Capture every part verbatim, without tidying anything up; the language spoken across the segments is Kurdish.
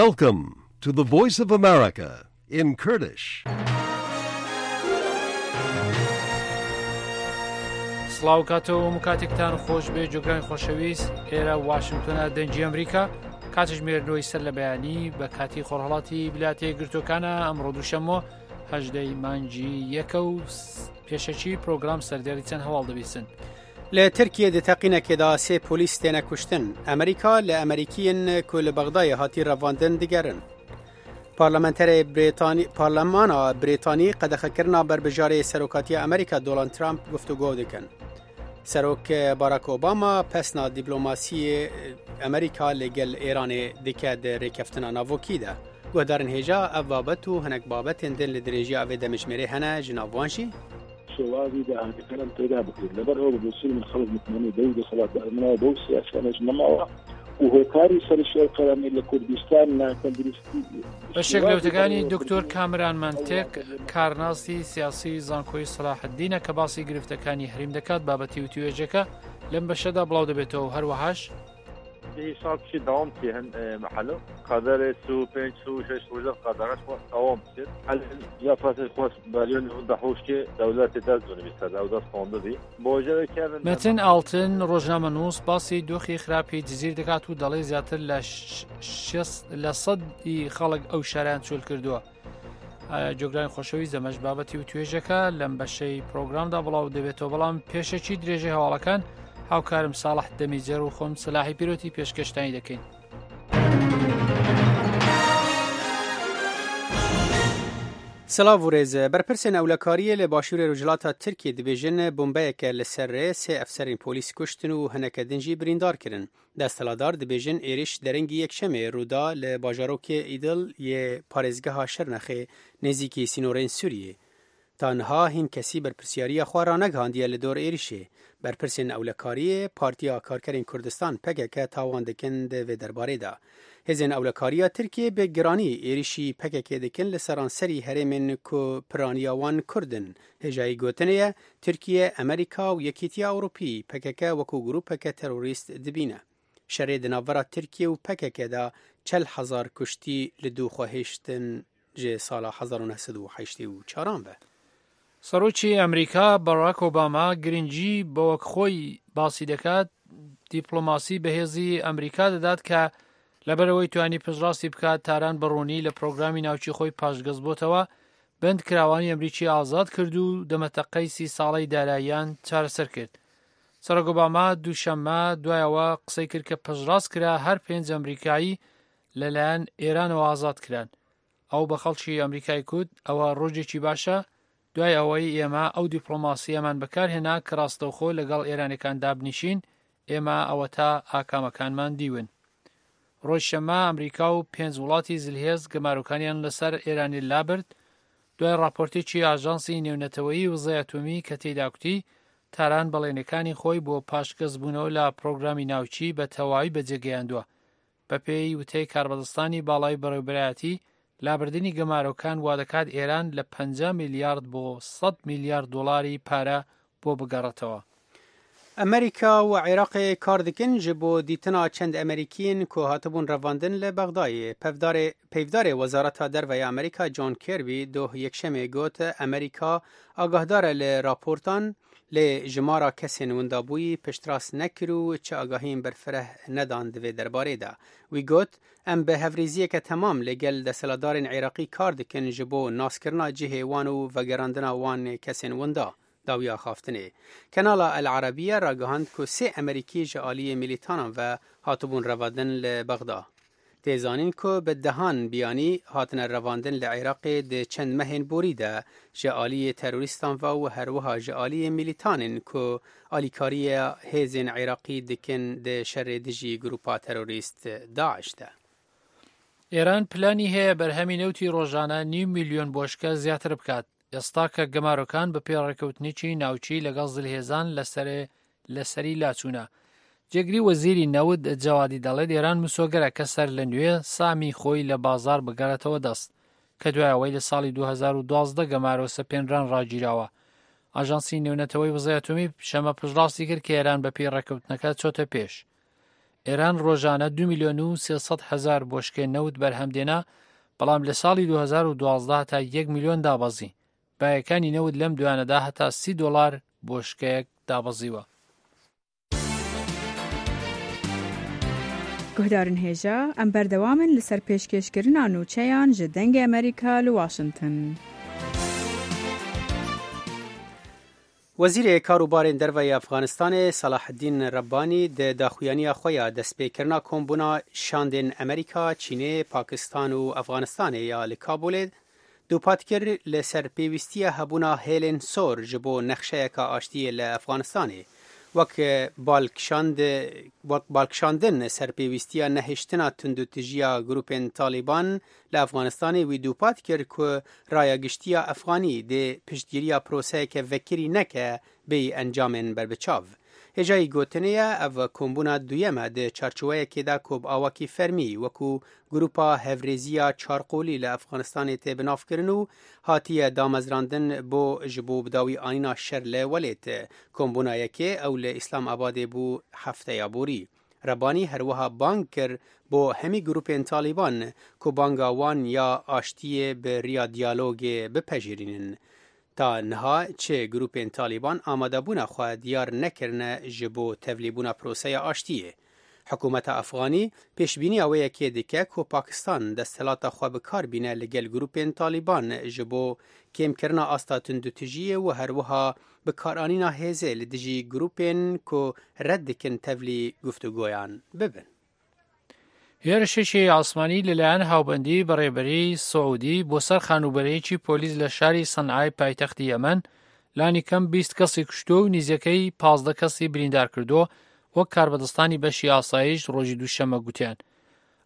Welcome to the Voice of America in Kurdish. سڵاو کاتەوە و کاتێکتان خۆش بێ جۆگرانی خۆشەویست. ئێرە واشنگتنە، دەنگی ئەمریکا. کاتژمێر نۆی سەر لە بەیانی بە کاتی خۆرهڵاتی ویلایەتە یەکگرتووەکانە. ئەمڕۆ دووشەممە، هەژدەی مانگی یەکە و س-، پێشەکی پرۆگرام سەردێڕی چەند هەواڵ دەبیسن. لە ترکیە di teqînekê de sê polîs têne kuştin. Amerîka li Amerîkiyên ku li Bexdayê hatî revandin digerin. Parlamenterê Brêtanî, Parlemana Brêtanî qedexekirina berbijarê Serokatiya Amerîka Donald Trump guftûgo dikin. Serok Barack Obama pesna dîplomasiyê Amerîka li gel Êranê dike di rêkeftina navokî de. Guhdarên hêja, ev babet û hinek babetên din li dirêjiya vê demijmêrê hene, ji nav wan jî. شێوازی داهاتەکانم پەیدا بکرێت. لەبەر ئەوە بە بۆچوونی من خەڵک متمانەی بەو دەسەڵاتدارانەوە، بەو سیاسیانەش نەماوە و هۆکاری سەرشێوکەرانی لە کوردستان ناتەندروستی بەشێک لە وتەکانی دکتۆر کامران مەنتێک، کارناسی سیاسی زانکۆی سەلاحەدینە کە باسی گرفتەکانی هەریم دەکات. بابەتی وتیوێژەکە لەم بەشەدا بڵاو دەبێتەوە. هەروەهاش هیشاب چی داوام چی هەن، ئێ، مەحەلە. قەدەرێ سو پێنج، سو شەش ڕۆژە قەدەرەش وە داوام چێت. هەل یا فاسێ خۆش بەریۆنی هەندە حوشکێ دەولەتێ دەست دونی بیستە، دەو دەست قۆندە بی. بۆ جەوێ کێرن مەتن ئاڵتن، ڕۆژنامەنووس، باسی دۆخی خراپی جزیر دەکات و دەڵێ زیاتر لە ش-، شێست لە سەدی خەڵک ئەو شارەیان چۆل کردووە. ئایا جۆگرانی خۆشەویست، ئەمەش بابەتی و توێژەکە لەم بەشەی پرۆگرامدا بڵاو دەبێتەوە، بەڵام پێشەکی درێژەی هەواڵەکان هاوکارم ساڵح دەمیجەر و خۆم سلاحی پیرۆتی پێشکەشتانی دەکەین. سلااو و rêz. Berpirsên ewlekariyê li başûrê rojhilata Tirkiyê dibêjin, bombeyeke li ser rê sê efserên polîs kuştin û hineke din jî birîndar kirin. Desthilatdar dibêjin êrîş derengî yekşemê rû da li bajarokê Îdil yê parêzgeha Şirnexê nêzîkî sînorên Sûriyê. Ta niha hîn kesî berpirsiyariya xwe ranegihandiye li dor êrîşê. Berpirsên ewlekariyê Partiya Karkerên Kurdistan, P K K, tawan dikin di vê derbarê de. Hêzên ewlekariya Tirkiyê bi giranî êrîşî P K K dikin li seranserî herêmên ku piraniya wan Kurd in. Hêjayî gotinê ye, Tirkiye, Amerîka û Yekîtiya Ewropî P K K wekû grûpeke terorîst dibîne. Şerê di navbera Tirkiye û P K K de çel hezar kuştî li dû xwe hêştin ji sala hezar û neh sed û heştê û çaran ve. سەرۆکی ئەمریکا بەراک ئۆباما گرنگی بە وەک خۆی باسی دەکات، دیپلۆماسی بەهێزی ئەمریکا دەدات کە لەبەرەوەی توانی پشتڕاستی بکات، تاران بە ڕوونی لە پرۆگرامی ناوکی خۆی پاشگەز بۆتەوە، بەند کراوانی ئەمریکی ئازاد کرد و دەمەتەقەی سی ساڵەی داراییان چارەسەر کرد. سەرۆک ئۆباما دووشەممە دوایەوە قسەی کرد کە پشتڕاست کرا هەر پێنج ئەمریکایی لەلایەن ئێرانەوە ئازاد کران. ئەو بە خەڵکی ئەمریکای کوت، ئەوە ڕۆژێکی باشە، دوای ئەوەی ئێمە ئەو دیپلۆماسیەمان بەکارهێنا کە ڕاستەوخۆ لەگەڵ ئێرانەکان دابنیشین، ئێمە ئەوە تا ئاکامەکانمان دیون. ڕۆژ شەممە ئەمریکا و پێنج وڵاتی زلهێز گەمارۆکانیان لەسەر ئێرانی لابرد، دوای راپۆرتێکی ئاژانسی نێونەتەوەیی وزەی ئەتۆمی کە تێیدا کوتی، تاران بەڵێنەکانی خۆی بۆ پاشگەزبوونەوە لە پرۆگرامی ناوچی بە تەواوی بەجێگەیاندووە. بە پێی وتەی کاربەدەستانی باڵای بەڕێوەبەرایەتی، لابردنی گەمارۆکان وا دەکات ئێران لە پەنجا میلیارد بۆ سەد میلیارد دۆلاری پارە بۆ بگەڕێتەوە. ئەمریکا و عێراقê kar dikin ji bo dîtina çend Emerîkiyên ku hatibûn revandin li Bexdayê. Pevdarê, peyvdarê Wezareta Derve ya Amerîka John Kirby doh Yekşemê got, Amerîka agahdar e li raportan, lê jimara kesên windabûyî piştrast nekir û çi agahiyên berfireh nedan di vê derbarê de. Wî got, Em bi hevrêziyeke temam li gel desthilatdarên Iraqî kar dikin ji bo naskirina cihê wan û vegerandina wan kesên winda. Dawiya axaftinê. Kanala El Arabiye ragihand ku sê Emerîkî ji aliyê milîtanan ve hatibûn revandin li Bexda. Tê zanîn ku bi dehan biyanî hatine revandin li Iraqê di çend mehên borî de ji aliyê terorîstan ve û herwiha ji aliyê milîtanên ku alîkariya hêzên Iraqî dikin di şerê dijî grûpa terorîst DAIŞ de. ئێران پلانی هەیە بەرهەمی نەوتی ڕۆژانە نیو میلیۆن بۆشکە زیاتر بکات. ئێستا کە گەمارۆکان بە پێڕێکەوتنێکی ناوچی لەگەڵ زلهێزان لەسەرێ، لەسەری لاچوونە. جێگری وەزیری نەوت جەوادی دەڵێت ئێران مسۆگەرە کە سەر لە نوێ سامی خۆی لە بازار بگەڕێتەوە دەست، کە دوای ئەوەی لە ساڵی دوو هەزار و دوازدە گەمارۆ سەپێنران ڕاگیراوە. ئاژانسی نێونەتەوەی وزەی ئەتۆمی شەمە پشتڕاستی کرد کە ئێران بە پێی ڕێکەوتنەکە چۆتە پێش. ئێران ڕۆژانە دو میلیۆن و سێ سەد هەزار بۆشکێ نەوت بەرهەم دێنا، بەڵام لە ساڵی دوو هەزار و دوازدە هەتا یەک میلیۆن دابەزی. بایەکانی نەوت لەم دویانەدا هەتا سی دۆلار بۆشکەیەک دابەزیوە. Guhdarên hêja, em berdewam in li ser pêşkêşkirina nûçeyan ji Dengê Amerîka li Washington. Wezîrê Kar û Barên Derve yê Efxanistanê Salaheddîn Rebbanî di daxuyaniya xwe ya destpêkirina kombûna şandên Amerîka, Çînê, Pakistan û Efxanistanê ya li Kabûlê dûpat kir, li ser pêwîstiya hebûna hêlên sor ji bo nexşeyeka aştiyê li Efxanistanê, wek balkişand-, wek balkişandin ser pêwîstiya nehiştina tundûtijiya grûpên Talîban li Efxanistanê, wî dûpat kir ku raya giştî ya Efxanî dê piştgiriya proseyeke vekirî neke bêyî encamên berbiçav. Hêjayî gotinê ye, ev kombûna duyem e di çarçoweyekê de ku bi awakî fermî wekû Grûpa Hevrêziya Çarqolî li Efxanistanê tê binavkirin û hatiye damezrandin bo ji bo bidawî anîna şer li welêt. Kombûna yekê ew li Îslamabadê bû hefteya borî. Rebanî her wiha bang kir bo hemî grûpên Talîban ku banga wan ya aştiyê bi riya diyalogê bipejirînin. Ta niha çi grûpên Talîban amadebûna xwe diyar nekirine ji bo tevlîbûna proseya aştiyê. Hikûmeta Efxanî pêşbîniya wê yekê dike ku Pakistan desthilata xwe bi kar bîne li gel grûpên Talîban ji bo kêmkirina asta tundûtijiyê û her wiha bikaranîna hêzê li dijî grûpên ku red dikin tevlî guftûgoyan bibin. هێرشێکی ئاسمانی لەلایەن هاوبەندی بەڕێبەری سعودی بۆ سەر خانوبەرەیەکی پۆلیس لە شاری سەنعای پایتەختی یەمەن لانی کەم بیست کەسی کوشتووە و نزیەکەی پازدە کەسی بریندار کردووە، وەک کاربەدەستانی بەشی ئاسایش ڕۆژی دووشەممە گوتیان.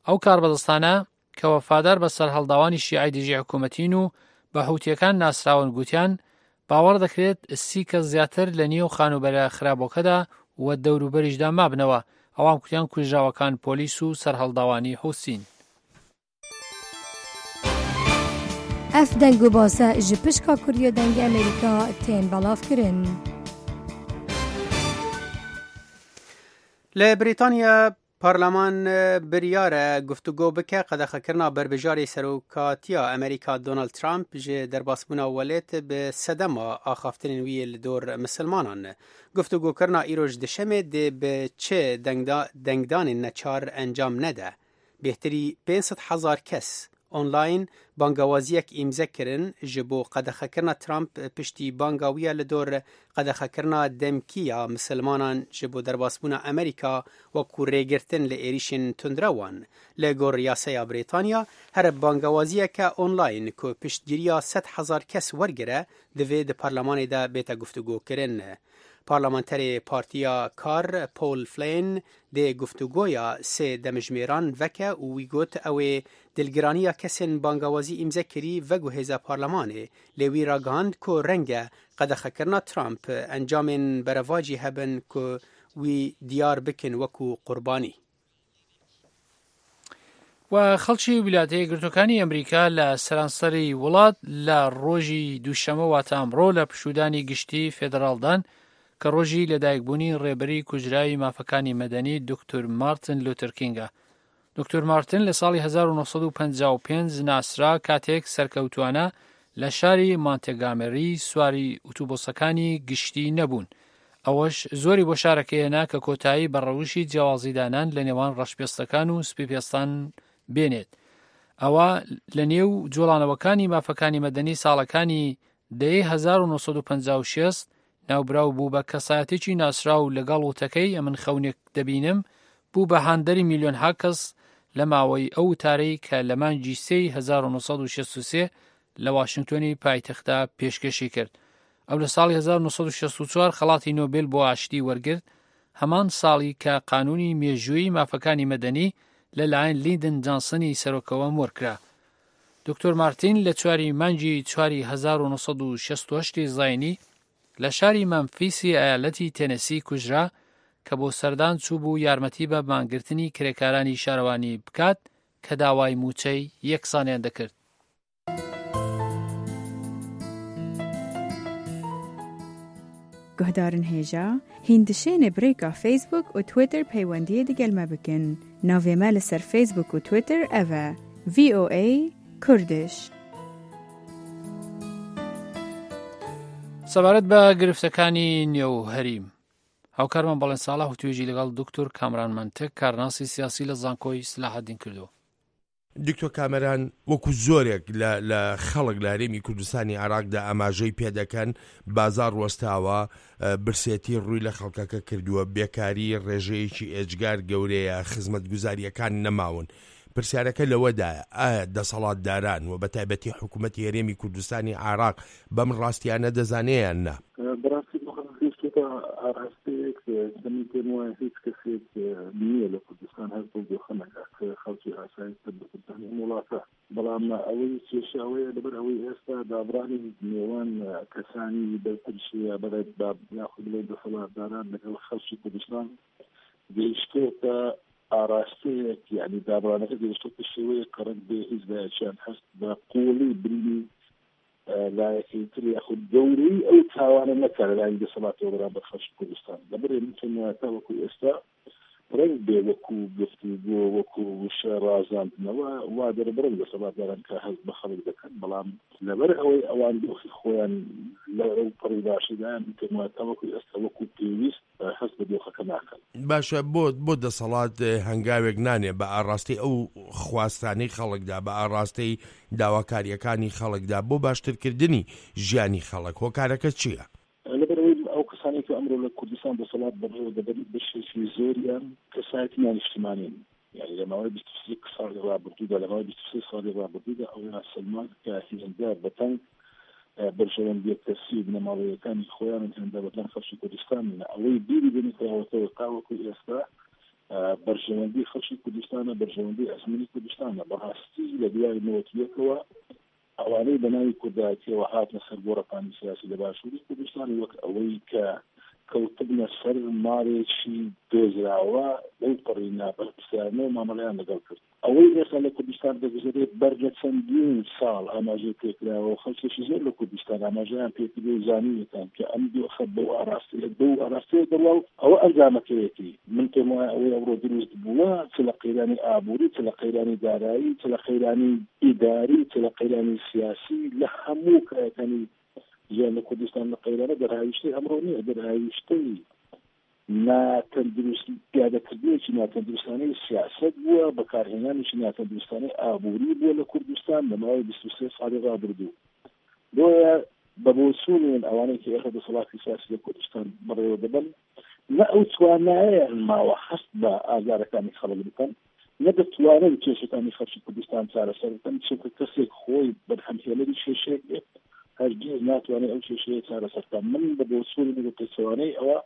ئەو کاربەدەستانە کە وەفادار بە سەرهەڵداوانی شیعەی دژی حکوومەتین و بە حوتیەکان ناسراون گوتیان، باوەڕ دەکرێت سی کەس زیاتر لە نێو خانوبەرە خراپەکەدا و دەوروبەریشدا مابنەوە. ئەوان کوتیان کوژراوەکان پۆلیس و سەرهەڵداوانی حوسین. Ev deng û base ji pişka Kurdiya Dengê Amerîka tên belavkirin. Li Brîtanya Parlaman biryar e guftûgo bike qedexekirina berbijarê serokatiya Amerîka Donald Trump ji derbasbûna welêt bi sedema axaftinên wî yê li dor misilmanan. Guftûgokirina îroj dişemê dê bi çi dengda-, dengdanên neçar encam nede. Bêhtirî pênc sed hezar kes online bangawaziyek îmze kirin ji bo qedexekirina Trump piştî banga wî ya li dor qedexekirina demkî ya misilmanan ji bo derbasbûna Amerîka wekû rêgirtin li êrîşên tundrewan. Li gor yaseya Brîtanya, here bangawaziyeke online ku piştgiriya sed hezar kes wergire, divê di parlemanê de bête guftûgokirin. Parlamenterê Partiya Kar Paul Flynn dê guftûgoya sê demjimêran veke û wî got ew ê dilgiraniya kesên bangawazî îmzekirî veguhêze parlemanê, lê wî ragihand ku reng e qedexekirina Trump encamên berevajî hebin ku wî diyar bikin wekû qurbanî. و خەڵکی ویلایەتە یەکگرتووەکانی ئەمریکا لە سەرانسەری وڵات لە ڕۆژی دووشەممە، واتە ئەمڕۆ، لە پشوودانی گشتی فێدراڵدان کە ڕۆژی لەدایکبوونی ڕێبەری کوژراوی مافەکانی مەدەنی دکتۆر مارتن لوتەر کینگە. دکتۆر مارتن لە ساڵی هەزار و نۆ سەد و پەنجا و پێنج ناسرا، کاتێک سەرکەوتووانە لە شاری مانتێگامێری سواری ئوتوبۆسەکانی گشتی نەبوون. ئەوەش زۆری بۆ شارەکەی هێنا کە کۆتایی بە ڕەوشی جیاوازیدانان لە نێوان ڕەشپێستەکان و سپیپێستان بێنێت. ئەوە لە نێو جوڵانەوەکانی مافەکانی مەدەنی ساڵەکانی دەیەی هەزار و نۆ سەد و پەنجا و شەش، ناوبراو بوو بە کەسایەتێکی ناسراو لەگەڵ وتەکەی «ئەمن خەونێک دەبینم» بوو بە هاندەری میلیۆنها کەس لە ماوەی ئەو وتارەی کە لە مانگی سێی هەزار و نۆ سەد و شەست و سێ لە واشنگتۆنی پایتەختدا پێشکەشی کرد. ئەو لە ساڵی هەزار و نۆ سەد و شەست و چوار خەڵاتی نۆبێل بۆ ئاشتی وەرگرت، هەمان ساڵی کە قانوونی مێژووی مافەکانی مەدەنی لەلایەن لیندن جانسنی سەرۆکەوە مۆرکرا. دکتۆر مارتین لە چواری مانگی چواری هەزار و نۆ سەد و شەست و هەشت زاینی لە شاری مەمفیسی ئەیالەتی تێنەسی کوژرا کە بۆ سەردان چوو بوو یارمەتی بە مانگرتنی کرێکارانی شارەوانی بکات کە داوای موچەی یەکسانیان دەکرد. Guhdarin hêja, hîn dişêne bi rêka Facebook û Twitter peywendiyê digel me bikin. Navê me li ser Facebook û Twitter ev e, V O A Kurdish. سەبارەت بە گرفتەکانی نێو هەریم، هاوکارمان بەڵێن ساڵح و توێژی لەگەڵ دکتۆر کامران منتک، کارناسی سیاسی لە زانکۆی سلاحەدین کردووە. دکتۆر کامەران، وەکو زۆرێک لە، لە خەڵک لە هەرێمی کوردستانی عێراقدا ئاماژەی پێ دەکەن، بازار وەستاوە، ئە، برسێتی ڕووی لە خەڵکەکە کردووە، بێکاری ڕێژەیەکی ئێجگار گەورەیە، خزمەتگوزاریەکان نەماون. پرسیارەکە لەوەدایە، ئایا دەسەڵاتداران و بە تایبەتی حکوومەتی هەرێمی کوردستانی عێراق بەم ڕاستیانە دەزانێ یان نا؟ بەڕاستی بۆ خەڵک گەیشتوتە ئاراستەیەک، کە من پێم وایە هیچ کەسێک نییە لە کوردستان هەست بۆ دۆخە نەکات، کە خەڵکی ئاسایی سەر بە کوردستانی ئەم وڵاتە. بەڵام ئەوەی کێشە ئەوەیە، لەبەر ئەوەی ئێستا دابڕانی نێوان کەسانی بەرپرسیە بەڵێت با یاخود بڵێ دەسەڵاتداران لەگەڵ خەڵکی کوردستان گەیشتۆتە ئاراستەیەک، یعنی دابڕانەکە گەیشتۆتە شێوەیە قەرەک بێ هیچ لایەکیان هەست بە قوڵی بریدی لایەکەی تر یاخود گەورەی ئەو تاوانە نەکا لە لایەن دەسەڵاتەوە بەرامبەر خەڵکی کوردستان. لەبەرێ من پێم وایە تا وەکو ئێستا ڕەنگ بێ وەکو گفتوگۆ، وەکو وشە ڕازاندنەوە، وا دەربڕن دەسەڵاتداران کە هەست بە خەڵک دەکەن، بەڵام لەبەر ئەوەی ئەوان دۆخی خۆیان لە ئەو پەڕی باشەدایان، من پێم وایە تا وەکو ئێستا وەکو پێویست هەست بە دۆخەکە ناکەن. باشە، بۆ، بۆ دەسەڵات، ئە، هەنگاوێک نانێ بە ئاراستەی ئەو خواستانەی خەڵکدا، بە ئاراستەی داواکاریەکانی خەڵکدا، بۆ باشترکردنی ژیانی خەڵک؟ هۆکارەکە چییە؟ لەبەرەوەی ئەو کەسانی کە ئەمڕۆ لە کوردستان دەسەڵات بەڕێوە دەبن، بەشێکی زۆریان کەسایەتی نانیشتیمانین. یعنی لە ماوەی بیست و سێ ساڵی ڕابردوودا، لە ماوەی بیست و سێ ساڵی ڕابردوودا ئەویان سەلماند کە هێندە بەتەنگ، ئە، بەرژەوەندیە کەسی و بنەماڵەیەکانی خۆیان و هێندە بەتەنگ خەڵکی کوردستان نینە. ئەوەی بیری دەنیکراوەتەوە تا وەکو ئێستا، ئە، بەرژەوەندی خەڵکی کوردستانە، بەرژەوەندی ئەزموونی کوردستانە. بەڕاستی لە دوای نەوەت و یەکەوە ئەوانەی بە ناوی کوردایەتیەوە هاتنە سەر گۆڕەپانی سیاسی لە باشووری کوردستان، وەک ئەوەی کە کەوتبنە سەر ماڵێکی دۆزراوە، لەو پەڕی ناپرسیارنەوە مامەڵەیان لەگەڵ کرد. ئەوەی ئێستا لە کوردستان دەگوزەرێت، بەر لە چەندین ساڵ ئاماژەی پێکراوە و خەڵکێکی زۆر لە کوردستان ئاماژەیان پێکردووە و زانیویەتان کە ئەم دۆخە بەو ئاراستەیە، بەو ئاراستەیە دەڕوا و ئەوە ئەنجامەکەیەتی. من پێم وایە ئەوەی ئەوڕۆ دروست بووە، چ لە قەیرانی ئابووری، چ لە قەیرانی دارایی، چ لە قەیرانی ئیداری، چ لە قەیرانی سیاسی، لە هەموو کایەکانی ژیان لە کوردستان لە قەیرانە دەرهاویشتەی ئەمڕۆ نییە، دەرهاویشتەی ناتەندروست، پیادەکردنێکی ناتەندروستانەی سیاست بووە، بەکارهێنانێکی ناتەندروستانەی ئابووری بووە لە کوردستان لە ماوەی بیست و سێ ساڵی ڕابردوو. بۆیە بە بۆچوونیان ئەوانەی کە ئێستا دەسەڵاتی سیاسی لە کوردستان بەڕێوە دەبن، نە ئەو توانایەیان ماوە هەست بە ئازارەکانی خەڵک بکەن، نە دەتوانن کێشەکانی خەڵکی کوردستان چارەسەر بکەن، چونکە کەسێک خۆی بەرهەمهێنەری کێشەیەک بێت، هەرگیز ناتوانێت ئەو کێشەیە چارەسەر بکات. من بە بۆچوونی و پێچەوانەی ئەوە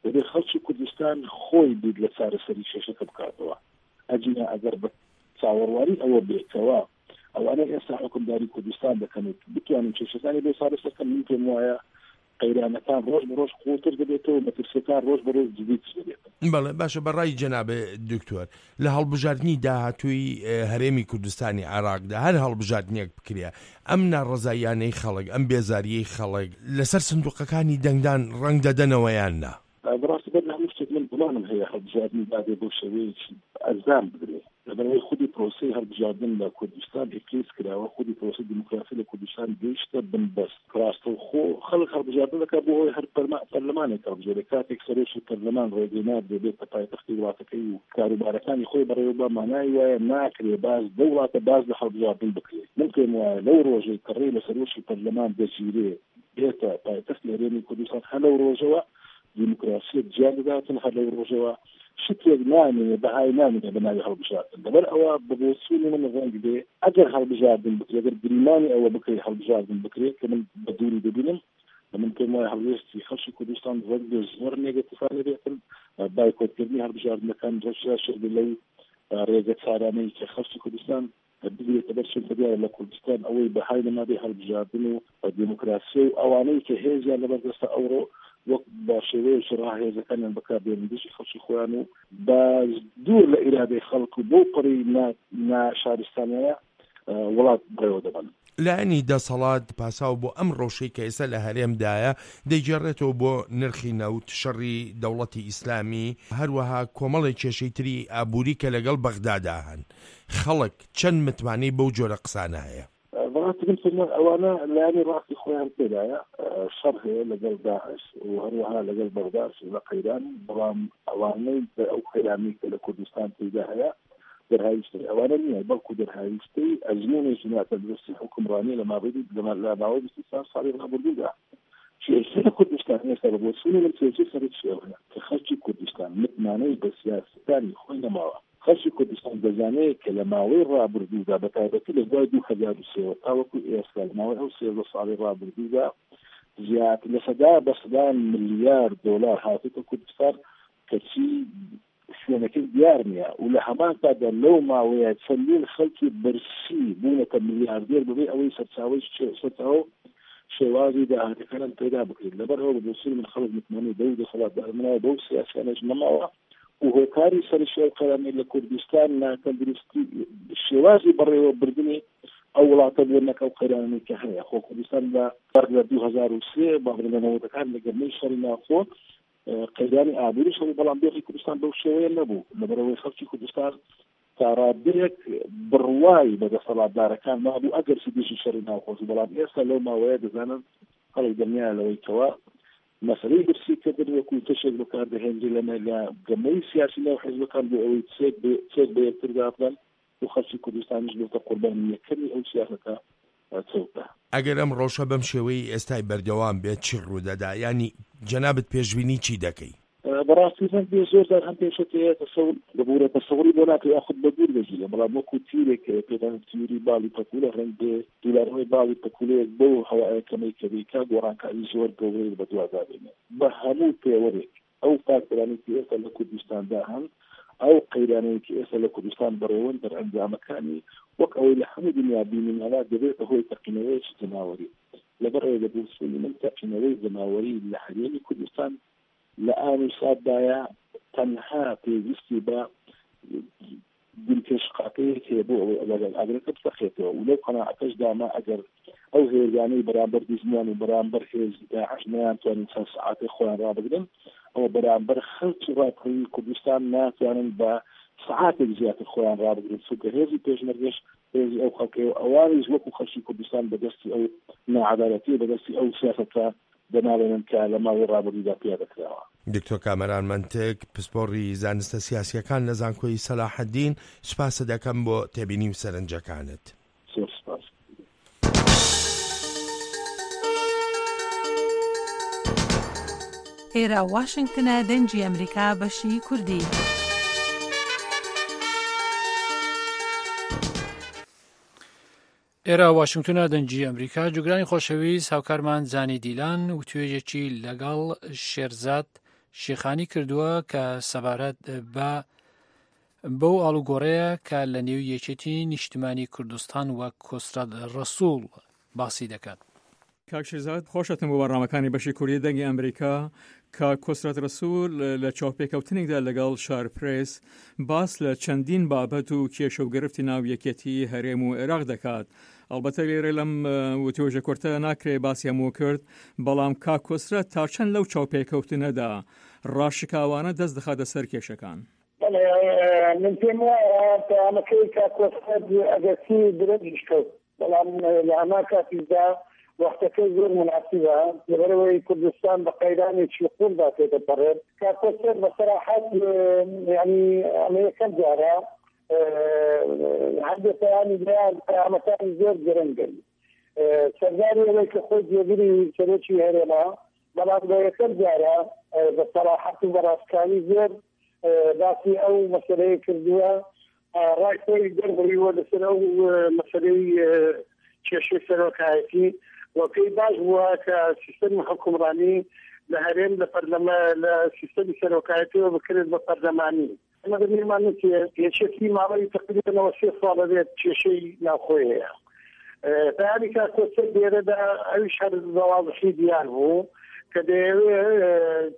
دەبێت خەڵکی کوردستان خۆی بیر لە چارەسەری کێشەکە بکاتەوە. ئەگینا ئەگەر بە چاوەڕوانی ئەوە بێتەوە ئەوانەی ئێستا حکومداری کوردستان دەکەن و بتوانن کێشەکانی بۆ چارەسەر بکەن، من پێم وایە قەیرانەکان ڕۆژ بە ڕۆژ قوڵتر دەبێتەوە، مەترسیەکان ڕۆژ بە ڕۆژ جدیتر دەبێتن. بەڵێ، باشە، بە ڕای جەنابێ دکتۆر، لە هەڵبژاردنی داهاتووی، ئێ، هەرێمی کوردستانی عێراقدا، هەر هەڵبژاردنێک بکرێ، ئەم ناڕەزاییانەی خەڵک، ئەم بێزاریەی خەڵک لەسەر سندوقەکانی دەنگدان ڕەنگ دەدەنەوە یان نا؟ بەڕاستی بەر لە هەموو شتێک من گومانم هەیە هەڵبژاردنی دادێ بۆ شێوەیەکی ئەنجام بدرێ. لەبەرەوەی خودی پرۆسەی هەڵبژاردن لە کوردستان ئیفلیس کراوە، خودی پرۆسەی دیموکراسی لە کوردستان گەیشتە بنبەست. ڕاستەوخۆ خەڵک هەڵبژاردن دەکات بۆ ئەوەی هەر پەرما-، پەرلەمانێک هەڵبژێرێت. کاتێک سەرۆکی پەرلەمان ڕێگەی نادرێ بێتە پایتەختی وڵاتەکەی و کاروبارەکانی خۆی بەڕێوە بە، مانای وایە ناکرێ باز لەو وڵاتە باز لە هەڵبژاردن بکرێت. من پێم وایە لەو ڕۆژەی کە ڕێ لە سەرۆکی پەرلەمان دەگیرێ بێتە پایتەختی هەرێمی کوردستان، هەر لەو ڕۆژەوە دیموکراسیەت جیان دەداتن، هەر لەو ڕۆژەوە شتێک نامێنێ، بەهای نامێنێ بە ناوی هەڵبژاردن. لەبەر ئەوە بە بۆچوونی من ڕەنگ بێ، ئەگەر هەڵبژاردن بکرێ، ئەگەر گریمانی ئەوە بکرێ هەڵبژاردن بکرێ، کە من بە دووری دەبینم، من پێم وایە هەڵوێستی خەڵکی کوردستان ڕەنگ بێ زۆر نێگەتیفانە بێتن، بایکۆتکردنی هەڵبژاردنەکان ڕەشدا شێ لەو ڕێگە چارانەی کە خەڵکی کوردستان بگرێتە بەر، چونکە دیارە لە کوردستان ئەوەی بەهای نەمابێ هەڵبژاردن و دیموکراسی و ئەوانەی کە هێزیان لەبەردەستە ئەوڕۆ وەک بە شێوەیەکی ڕاهێزەکانیان بەکاردێنن دژی خەڵکی خۆیان و بە دوور لە ئیرادەی خەڵک و بۆ پەڕی نا-، ناشارستانیانە، ئە، وڵات بڕێوە دەبن. لایەنی دەسەڵات پاساو بۆ ئەم ڕەوشەی کە ئێستا لە هەرێمدایە دەیگێڕێتەوە بۆ نرخی نەوت، شەڕی دەوڵەتی ئیسلامی، هەروەها کۆمەڵی کێشەی تری ئابووری کە لەگەڵ بەغدادا هەن. خەڵک چەند متمانەی بەو جۆرە قسانە هەیە؟ بەڕاستی من سەرمە ئەوانە لایەنی ڕاستی خۆیان تێدایە. شەڕ هەیە لەگەڵ داعش و هەروەها لەگەڵ بەغداش لە قەیران، بەڵام ئەوانەی ئەو قەیرانی کە لە کوردستان تێدا هەیە دەرهاویشتەی ئەوانە نییە، بەڵکو دەرهاویشتەی ئەزموونێکی ناتەندروستی حکومڕانی لە ماوەی لە ماوەی بیست و چوار ساڵی ڕابردوودا. کێشەی کوردستان ئێستا بە بۆچوونی من کێشەی سەرەکی ئەوەیە کە خەڵکی کوردستان متمانەی بە سیاسەتانی خۆی نەماوە. خەڵکی کوردستان دەزانێت کە لە ماوەی ڕابردوودا، بە تایبەتی لە دوای دوو هەزار و سێ تاوەکو ئێستا، لە ماوەی ئەو سێزدە ساڵی ڕابردوودا، زیاتر لە سەدا بە سەدان ملیار دۆلار هاتووتە کوردستان، کەچی شوێنەکەی دیار نییە و لە هەمان کاتدا لەو ماوەیە چەندین خەڵکی برسی بوونەتە ملیاردێر بەبێ ئەوەی سەرچاوەی شێ-، سەرچاوە و شێوازی داهاتەکانیان پەیدا بکرێت. لەبەر ئەوە بە بۆچوونی من خەڵک متمانەی بەو دەسەڵاتدارانەوە، بەو سیاسیانەش نەماوە و هۆکاری سەرشێ ئەو قەیرانەی لە کوردستان ناتەندروستی شێوازی بەڕێوەبردنی ئەو وڵاتە بووە، نەک ئەو قەیرانەی کە هەیە. خۆ کوردستان لە بەر لە دوو هەزار و سێ، با بڵێن لە نەوەدەکان لە گەرمەی شەڕی ناوخۆ، ئە، قەیرانی ئابووریش هەبوو، بەڵام دۆخی کوردستان بەو شێوەیە نەبوو، لەبەرەوەی خەڵکی کوردستان تا ڕادەیەک بڕوای بە دەسەڵاتدارەکان مابوو، ئەگەر چی دژی شەڕی ناوخۆش بوو. بەڵام ئێستا لەو ماوەیە دەزانن خەڵک دڵنیایە لەوەی کەوا مەسەلەی برسیکردن وەکو تەشێک بەکاردەهێنرێ لە، لە گەمەی سیاسی ناو حیزبەکان بۆ ئەوەی چێک بە، چێک بە یەکتر دابدەن و خەڵکی کوردستانیش بێتە قوربانی یەکەمی ئەو سیاسەتە چەوتە. ئەگەر ئەم ڕەوشە بەم شێوەی ئێستای بەردەوام بێت، چی ڕوودەدا؟ یعنی، جەنابت پێشبینی چی دەکەی؟ بەڕاستی ڕەنگ بێ زۆر جار هەم پێشەکەیە تەسەور ببوورە تەسەوری بۆ ناکە یاخود بە دوور دەگیرە، بەڵام وەکو تیرێک کە پێدان تیوری باڵی پەکوولە، ڕەنگ بێ دوولارەوەی باڵی پەکوولەیەک بەو هەوایە کەمەی کە بیکا گۆڕانکاری زۆر گەورەی بە دوادا بێنێ. بە هەموو پێوەرێک ئەو فاکتەرانی کە ئێستا لە کوردستاندا هەن، ئەو قەیرانەیە کە ئێستا لە کوردستان بەڕێوەن دەرئەنجامەکانی وەک ئەوەی لە هەموو دنیا بینیمانە دەبێتە هۆی تەقینەوەیەکی جەماوەری. لەبەر ئەوەی لە بۆچوونی من تەقینەوەی جەماوەری لە هەرێمی کوردستان لە ئاوی ساددایە تەنها پێویستی بە گولکەشقاکەیەک هەیە بۆ ئەوەی ئەگەر ئاگرەکە بسەخێتەوە و لەو قەناعەتەشدامە ئەگەر ئەو هێزانەی بەرامبەر دوژمنیان و بەرامبەر هێز داعش نەیانتوانین چەند سەعاتێک خۆیان ڕابگرن، ئەوە بەرامبەر خەڵکی ڕاپەڕیوی کوردستان ناتوانن بە سەعاتێک زیاتر خۆیان ڕابگرن، چونکە هێزی پێشمەرگەش هێزی ئەو خەڵکەیە و ئەوانیش وەکو خەڵکی کوردستان بەدەستی ئەو نەعەدالەتی و بەدەستی ئەو سیاسەتە دەناڵێنن کە لە ماوەی ڕابردوودا پیا دەکراوە. دکتۆر کامەران مەنتک، پسپۆڕی زانستە سیاسیەکان لە زانکۆی سەلاحەدین، سوپاست دەکەم بۆ تێبینی و سەرنجەکانت. زۆر سپاس. ئێرە واشنگتنە، دەنگی ئەمریکا، بەشی کوردی. ئێرە واشنگتنە، دەنگی ئەمریکا. جوگرانی خۆشەویست، هاوکارمان زانی دیلان و توێژێکی لەگەڵ شێرزاد شێخانی کردووە کە سەبارەت بە بەو ئاڵوگۆڕەیە کە لە نێو یەکێتی نیشتمانی کوردستان و کۆسرەت ڕەسووڵ باسی دەکات. کاک شێرزاد، خۆش هاتن بۆ بەرنامەکانی بەشی کوردی دەنگی ئەمریکا. کاک کۆسرەت ڕەسوول لە چاوپێکەوتنێکدا لەگەڵ شار پرێس باس لە چەندین بابەت و کێشە و گرفتی ناو یەکێتی هەرێم و عێراق دەکات. ئەڵبەتە لێرە لەم، ئە، وتوێژە کورتە ناکرێ باسی هەموو کرد، بەڵام کاک کۆسرەت تا چەند لەو چاوپێکەوتنەدا ڕاشکاوانە دەست دەخاتە سەر کێشەکان؟ بەڵێ، من پێم وایە پەیامەکەی کاک کۆسرەت ئەگەرچی درەنگیش کەوت، بەڵام لە هەمان کاتیشدا وەختەکەی زۆر مناسبە، لەبەرەوەی کوردستان بە قەیرانێکی قوڵدا تێدەپەڕێت. کاک کۆسرەت بە سەراحەت، یعنی، ئەمە یەکەم جارە، هەندێک پەیامی دەیان پەیامەکانی زۆر گرنگن. سەرداری ئەوەی کە خۆی جێگری سەرۆکی هەرێمە، بەڵام بە یەکەم جارە، بە سەراحەت و بە ڕاستکاوی زۆر، باسی ئەو مەسەلەیە کردووە. ڕای خۆی دەربڕیوە لەسەر ئەو، مەسەلەی، کێشەی سەرۆکایەتی و پێی باش بووە کە سیستەمی حکومڕانی لە هەرێم لە پەرلەما-، لە سیستەمی سەرۆکایەتیەوە بکرێت بە پەرلەمانی. ئەمە دەبێمان نووسێ یەکێتی ماوەی تەقریبەن ئەوە سێ ساڵە بێت کێشەی ناوخۆی هەیە. پەیامی کاک کۆسرەت لێرەدا ئەویش هەر بە واضحی دیار بوو کە دەیەوێ، ئە،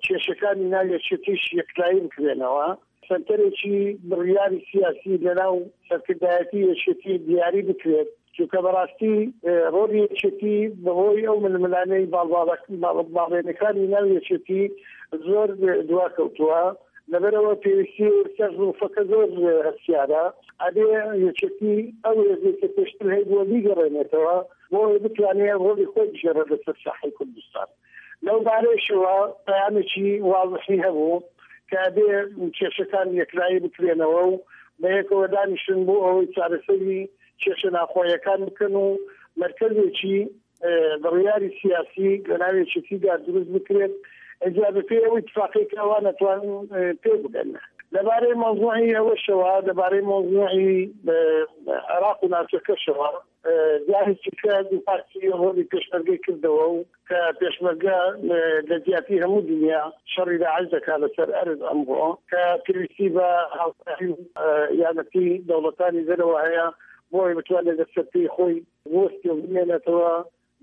کێشەکانی ناو یەکێتیش یەکلایی بکرێنەوە. سەنتەرێکی بڕیاری سیاسی لەناو سەرکردایەتی یەکێتی دیاری بکرێت. چونکە بەڕاستی، ئێ، ڕۆڵی یەکێتی بەهۆی ئەو ململانەی باڵباڵەک-، باڵ-، باڵێنەکانی ناو یەکێتی زۆر دوا کەوتووە. لەبەرەوە پێویستی ئێستا ظروفەکە زۆر هەستیارە. ئەبێ یەکێتی ئەو هێزەی کە پێشتر هەیبووە بیگەڕێنێتەوە، بۆ ئەوەی بتوانێت ڕۆڵی خۆی بژێرە لەسەر ساحەی کوردستان. لەو بارەیشەوە پەیامێکی واضحی هەبوو کە ئەبێ کێشەکان یەکلایی بکرێنەوە و بەیەکەوە دانیشن بۆ ئەوەی چارەسەری کێشە ناوخۆییەکان بکەن و مەرکەزێکی، ئێ، بڕیاری سیاسی لە ناو یەکێتیدا دروست بکرێت. ئەجا بە پێی ئەو ئیتفاقی کە ئەوان ئەتوانن، ئێ، پێ بگەن. لەبارەی مەوزوعی ئەوەشەوە، لەبارەی مەوزوعی، ئێ، عێراق و ناوچەکەشەوە، ئێ، جاری چکە دوو پارتی ڕۆڵی پێشمەرگەی کردەوە و کە پێشمەرگە، ئێ، لە جیاتی هەموو دنیا شەڕی داعش دەکات لەسەر ئەرز ئەمڕۆ، کە پێویستی بە هاوکاری و، ئێ، یارمەتی دەوڵەتانی دەرەوە هەیە بۆ ئەوەی بتوانێت لە سەرپێی خۆی بوەستی و بمێنێتەوە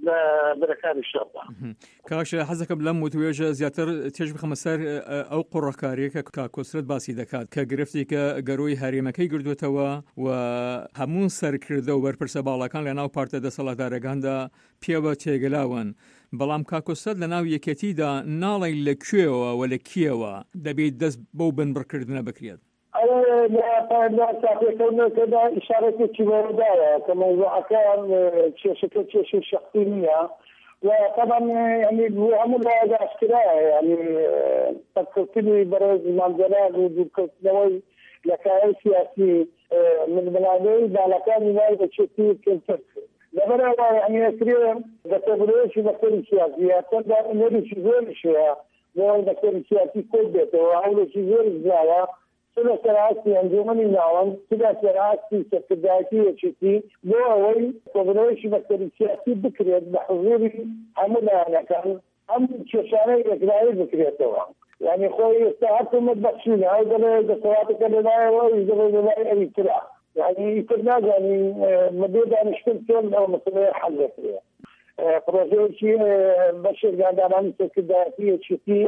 لە بەرەکانی شەڕدا. مهم. کاش حەز دەکەم لەم وتوێژە زیاتر تێش بخەمە سەر، ئە، ئەو قوڕەکاریە کە کاک کۆسرەت باسی دەکات، کە گرفتی کە گەرۆی هەرێمەکەی گردوێتەوە و هەموو سەرکردە و بەرپرسە باڵەکان لە ناو پارتە دەسەڵاتدارەکاندا پێوە تێگەلاون. بەڵام کاک کۆسرەت لە ناو یەکێتیدا ناڵی لە کوێوە و لە کیەوە دەبێت دەست بەو بنبڕکردنە بکرێت. ئەو لە پایەندە ساپێکردنەکەدا ئیشارەتێکی بەوەدایە کە مەوزوعەکە، ئێ، کێشەکە کێشەی شەخسی نییە. و تەبەن، یعنی، بۆ هەموو لایەک ئاشکرایە، یعنی، ئێ، سەرکەوتنی بەڕێز مامجەلال و دوورکەوتنەوەی لە کایەی سیاسی، ئێ، ململانێی باڵەکانی ناو یەکێتی کەمتر کرد. لەبەرەوە، یعنی، ئەکرێ بە کۆبنەوەیەکی مەکتەبی سیاسی یا چەند دانەیەکی زۆریش هەیە بۆ ئەوەی مەکتەبی سیاسی کۆک بێتەوە، هەوڵێکی زۆریش دراوە، چ لەسەر ئاستی ئەنجومەنی ناوەند، چ لەسەر ئاستی سەرکردایەتی یەکێتی، بۆ ئەوەی کۆبنەوەیکی مەکتەبی سیاسی بکرێت بە حضوری هەموو لایەنەکان، ئەم کێشانەی یەکلایی بکرێتەوە. یعنی، خۆی ئێستا هەر تۆمەت بەخشینە، ئەو دەڵێ دەسەڵاتەکە لە لایەوە، ئەویش دەڵێ لە لای ئەوی ترە. یعنی، ئیتر نازانین، ئێ، مدێ دانیشتن چۆن ئەو مەسەلەیە حەل دەکرێت. ئێ، پرۆژەیەکی، ئێ، بەشێک دانانی سەرکردایەتی یەکێتی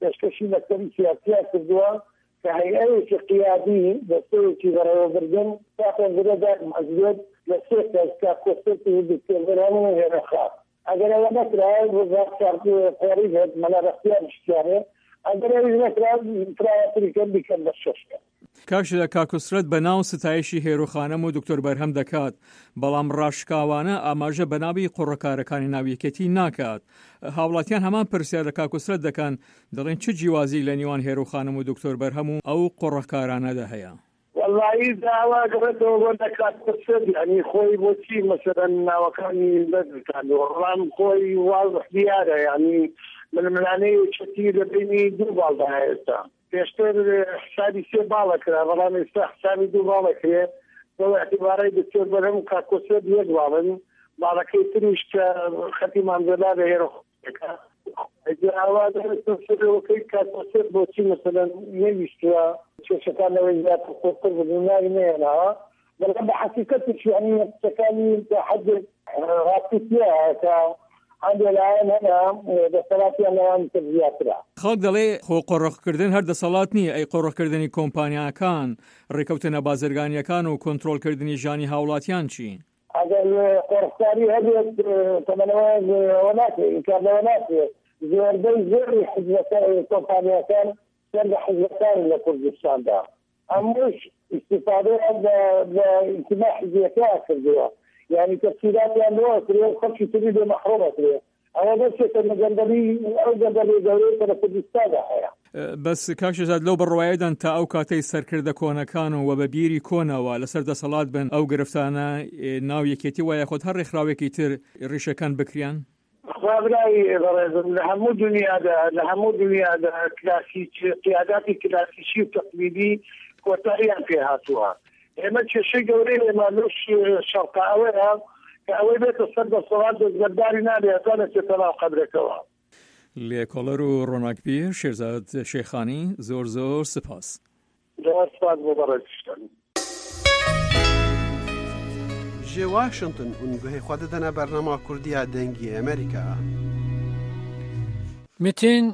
پێشکەشی مەکتەبی سیاسیان کردووە کە هەیئەیەکی قیادی، دەستەیەکی بەڕێوەبردن، تا پێنجرە دایمەزرێت لە سێ کەس، کە کۆسرەت و دکتۆر بەرهەم و هێرۆخان. ئەگەر ئەوە نەکرا، وەزارت کار، خۆری بێت، مەلا بەختیار شتیانێ. ئەگەر ئەویش نەکرا، تراواتری کەم بیکەن بە شەش کەس. کاش لە کاکوسرەت بە ناو ستایشی هێرۆخانم و دکتۆر بەرهەم دەکات، بەڵام ڕاشکاوانە ئاماژە بە ناوی قوڕەکارەکانی ناو یەکێتی ناکات. هاوڵاتیان هەمان پرسیار لە کاکوسرەت دەکەن، دەڵێن چ جیوازی لە نیوان هێرۆخانم و دکتۆر بەرهەم و ئەو قوڕەکارانەدا هەیە؟ وەڵایی داوا دەبێتەوە بۆ لە کاکوسرەت، یعنی، خۆی بۆچی مەسەلەن ناوەکانی بەدرکاندەوە؟ بەڵام خۆی واضح دیارە، یعنی، ململانەی یەکێتی لە بینی دوو باڵدا ئێستا. پێشتر حسابی سێ باڵە کرا، بەڵام ئێستا حسابی دوو باڵە کرێ. بەو اعتبارەی دکتۆر بەرهەم و کاکۆسرەت یەک باڵن، باڵەکەی تریش کە خەتی مامزەلا لە هێرە خۆشەکە. ئەوە دەبێت سەرەوەکەی کاکۆسرەت بۆچی، مەسەلەن، نەویستووە کێشەکان لەوەی زیاتر خۆتر ببوو، ناوی نەهێناوە. بەڵام بە حەقیقەتیش، یعنی، قسەکانی تا حەدێک ڕاستی تیا کە هەندێک لایەن هەیە، دەسەڵاتیان لەوانی تر زیاترە. خەڵک دەڵێ خۆ قۆڕەخکردن هەر دەسەڵات نییە، ئەی قۆڕەخکردنی کۆمپانیاکان، ڕێکەوتنە بازرگانیەکان و کۆنترۆلکردنی ژانی هاوڵاتیان چی؟ ئەگەر قۆڕخکاری هەبێت، تەمەنەوە ئەوە ناکرێت، ئینکار لەوە ناکرێت. زۆربەی زۆری حزبەکە، کۆمپانیاکان سەر لە حزبەکان لە کوردستاندا. ئەمەش ئیستیفادەیان لە، لە ئینتیما حزبیەکە کردووە. یعنی تەفسیراتیان لەوە کرێ و خەڵکی تری لێ مەحرۆمە کرێ. ئەوە بەسێکە لە گەندەلی، ئەو گەندەلی گەورەی کە لە کوردستاندا هەیە. بەس کاک شێزاد، لەو بڕوایەدان تا ئەو کاتەی سەرکردە کۆنەکان و وە بە بیری کۆنەوە لەسەر دەسەڵات بن، ئەو گرفتانە، ئێ، ناو یەکێتی وایە خۆت هەر ڕێکخراوێکی تر ڕیشەکان بکریان؟ خوا برای بەڕێزم، لە هەموو دنیادا، لە هەموو دنیادا کلاسیک، قیاداتی کلاسیکی و تەقلیدی کۆتاییان پێ هاتووە. ئێمە کێشەی گەورەی ئێمە لەو ش-، شەڕقە ئەوەیە کە ئەوەی بێتە سەر دەسەڵات دەستبەرداری نابێ، هەتا نەچێتە ناو قەبرەکەوە. لێکۆڵەر و ڕۆناکبیر شێرزاد شێخانی، زۆر زۆر سپاس. زۆر سپاس بۆ بەڕێزیشتن. Ji Washington hûn guhê xwe didine bernama Kurdiya Dengê Amerîka. Metin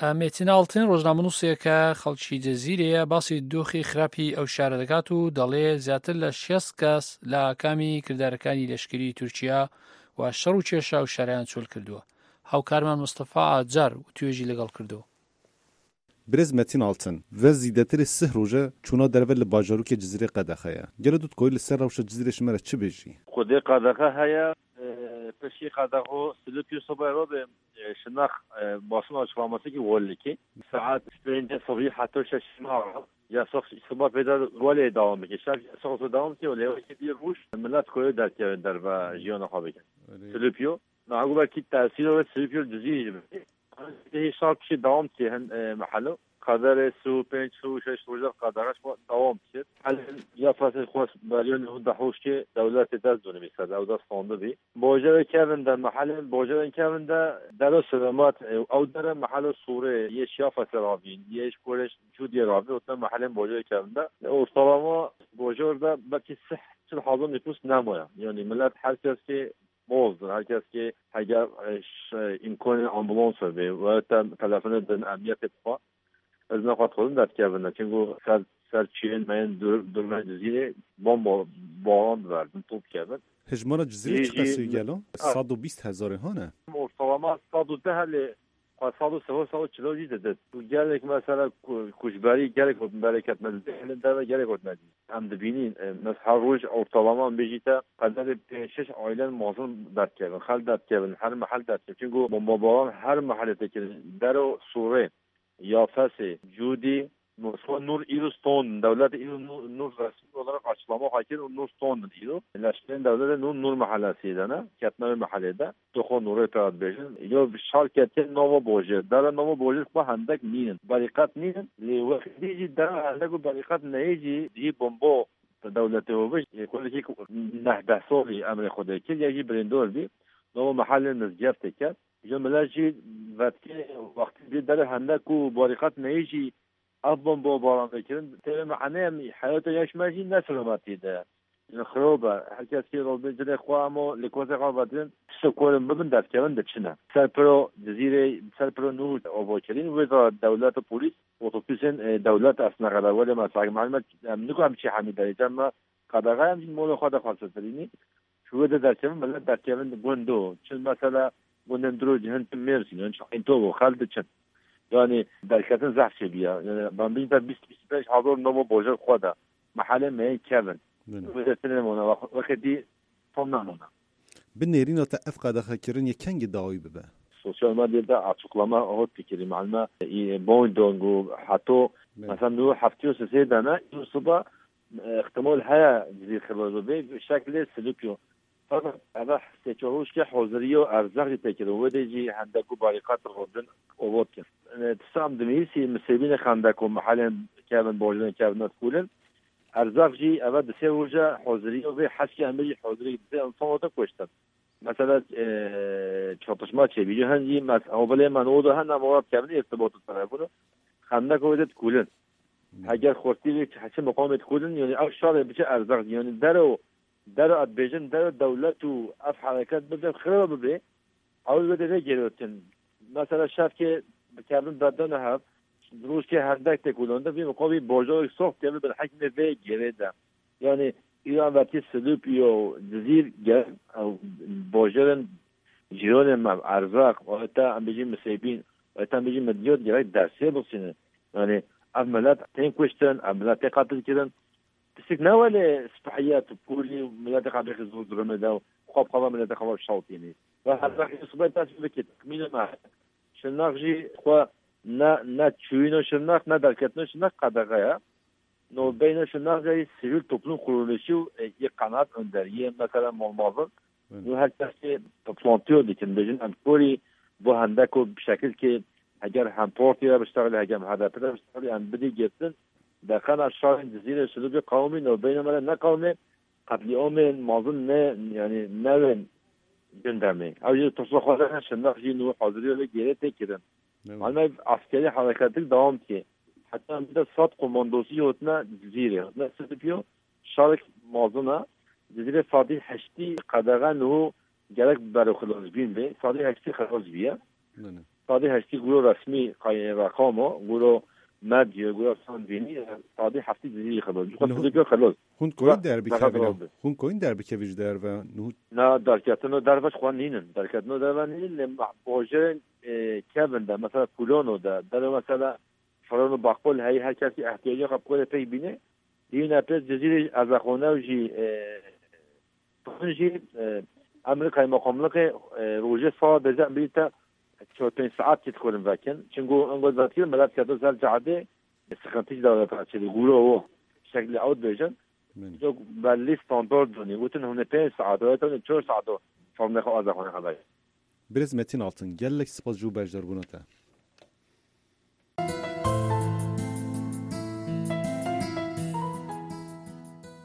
Metin Altın, ڕۆژنامەنووسێکە خەڵکی جەزیرەیە، باسی دۆخی خراپی ئەو شارە دەکات و دەڵێ زیاتر لە شێست کەس لە ئاکامی کردارەکانی لەشکری تورکیا و شەڕ و کێشە ئەو شارەیان چۆل کردووە. هاوکارمان مستەفا ئاجار و توێژی لەگەڵ کردو. Birêz Metin Altın, ve zîdetirê sih roje çûna derve li bajarokê Cizîrê qedexe ye. Gelo tu dikorî li ser rewşa Cizîrê ji me re çi bêjî? Xwedê qedexe heye, e, piştî qedexo Silopî sobe robe, e, şinax, e, basûna çilamasî ki wol dikî. Saet pêncê sibî heta şeş şinax. Yasax siba pêda wele dewam bike. Şev yasax so dewam ke wele weke bir roj millet koyo derkeve derve jiyana xwe bikin. Silopî. Nago belkî tesîro ve Silopî Cizîrê jî bikin. Hê şar piştî dewam ke hin, e, mehelo. Qedere su, pênc su, şeş roja qedere şwa dewam ke. Helen ya fesê xwe beriyo ne hunda hoş ke dewletê dest dûnê bî ser, ew dest standi bî. Bojeve kevin de mehelên, bojeve kevin de dero selamat, e, ew dere mehelo Sûrê, yê şiya fesê ravîn, yê ji Koreş Cûdiyê ravîn, ote mehelên bojeve kevin de. E, ortalama bojer de belkî sih çil hazar nüfus nemoya. Yani millet her kes ki bozdin, her kes ki heger, e, ş-, e, imkanê ambulans be, ve te telefonu din emniyetê bixwe. Ez ne xwe dixwazim derdikevin ne. Çunku ser, ser çiyên me yên dur, durmên Cizîrê bomba baran diberdin, top dikevin. Hejmara Cizîrê çiqas e gelo? Sed û bîst hezarê hane? Ortalama sed û deh lê xwe sed û sih, sed û çil jî didin. Gelek mesela ku-, kuşberî gelek hot bereket me didin. Deve gelek hot me didin. Em dibînin, e, mes her roj ortalama em bêjî te qederê pênc şeş ailen mazin derdikevin, xel derdikevin, her mehel derdikevin. Çunku bombabaran her mehelê tê kirin. Dero Sûrê, Yafesê, Cûdî, Moskva, Nur îro ston, dewlet îro Nur, Nur resmî olarak açıklama xwe kir û Nur ston îro. Leşkerên dewletê Nur, Nur mehelesî de ne, ketme wê mehelê de. Tu xwe Nurê pera dibêjin. Yo şar ketiye nava bojê. Dere nava bojê xwe hendek nînin. Berîqet nînin. Lê wextî jî dere hendek û berîqet neyê jî cihî bombo dewletê we bij. Yê kulekî neh deh solî emrê Xwedê kir, ya jî birîndor bî. Nava mehelê mizgeftê ket. Ji millet jî vetkê wextî dî dere hendek û berîqet neyê jî ev bombo baran vekirin. Tê me ene em heyata yaş me jî ne selametî de. Ji xirab e. Her kes kê robê cilê xwe emo li kosê xwe vedin. Tiştek ku em bibin derdikevin diçine. Ser piro Cizîrê, ser piro Nûr ava kirin. Wê de dewlet û polîs, otobusên, e, dewlet esne qede. Welê me sag malûm e, em niko em çi hemî derê. Cem me qedexe em jî molê xwe de xwe setirînî. Ji wê de derkevin, millet derkevin gundo. Çi mesela gundên diro cihin çi Mêrsîn, yan çi Eyntobo, xel diçin. Yani derketin zehf çêbiya. Yani ben bîn te bîst, bîst û pênc hezar nava bojek xwe de. Mehelê me yên kevin. Wê de tine mona, wextê dî tom namona. Bi nêrîna te ev qedexekirin yê kengî dawî bibe? Sosyal medyada açıklama hot dikirî. Malme, e, Boeing û heto, mesela, nû heftê û sê de ne, îro siba, e, ihtimal heye Cizîr xirab bibe, şeklê Silipyo. Fakat eve sê çar roj ke hoziriyo erzaq jî tê kirin. Wê de jî hendek û barîqat robin ovot kir. E, tisam dimîsî misêbînê xendek û mehelên kevin, bojên kevin û kulin. Erzaq jî eve di sê roja hoziriyo vê heskê em jî hozirî di sê insan ote kuştin. Mesela, e, çatışma çêbî. Ji hin jî mes-, hewbilê me nû de hin em ora dikevin, îrtibat û telefon û xendek wê de dikulin. Heger xortî vê çi, çi miqamê dikulin, yani ev şarê biçe erzaq, yani dero, dero ez dibêjim, dero dewlet û ev hereket bibe, xirab bibe, ew wê de vê gêrotin. Mesela şevkê dikevin berdene hev, rojkê hendek tê kulande, vî miqamî bojorek sox keve bil hekmê vê gêrê de. Yani, îro em vertî Silûpî û Cizîr ge-, ew, bajarin cîranê me, erzaq, weta em bêjî misêbîn, weta em bêjî midyot gerek dersê bixsînin. Yani, ev milet tên kuştin, ev milet tên qetil kirin. Pisik ne welê spehiyet û polî û miletê xwe bêxî zor durumê de û xwe bi xwe ve miletê xwe ve şewtînî. Ve erzaq ê sibe dest bikî, tekmîlê me. Şirnax jî xwe ne, ne çûyîno Şirnax, ne derketino Şirnax qedexe ye. No beyne Şirnax jî sivîl toplum kuruluşu û, e, yê qenaat önderiyê, mesela malbazin. Nû her kes kê toplantiyo dikin, bêjin em korî bo hendeko bi şekil kê heger hem partî re biştexilî, heger hem H D P re biştexilî, em bidî girtin. Derxena şarên Cizîrê Silûbê qewimî, no beyne me re ne qewimê, qetlîamên mazin ne, yani ne wên gundemê. Ew jî tirsa xwe de ne, Şirnax jî nû hazirî wê gêrê tê kirin. Malme askerî hereketik dewam dike. Heta em bide sed komandosî hotine Cizîrê, hotine Silipyo, şarek mazin e. Cizîrê sadî heştî qedexe niho gerek bero xilazbîn be. Sadî heştî xilaz bîye. Sadê heştî guro resmî qayên reqamo, guro medya, guro sandînî, sadê heftî Cizîrî xilos. Ji xwe Niho- Cizîrî xilos. Hûn koyî Gura derbi derxet kevin? Rast be. Hûn koyî derbi kevin ji derve? Niho- Na, derketino derve ji xwe nînin. Derketino derve nînin, lê meh-, bojê, e, kevin de, mesela Pûlono de, dere mesela Ferano Bakol heyî, her kesî ehtiyacê xwe bi xwe re pêk bîne. Yine pê Cizîrê Erzeqonew jî, e, Hûn jî, e, em li kaymakamlikê, e, rojê sawa bêje em bîte çar pênc saet çi dixwin vekin. Çingo engo vekirin, milet kete ser cadê, sıkıntı da çêdî, guro o şeklî ew dibêjin. Min. Çok belli standart donî. Gotin hûn ê pênc saet, o hûn ê çar saet o formê xwe aza xwe xeber. Birêz Metin Altın, gelek spas ji bo beşdarbûna te.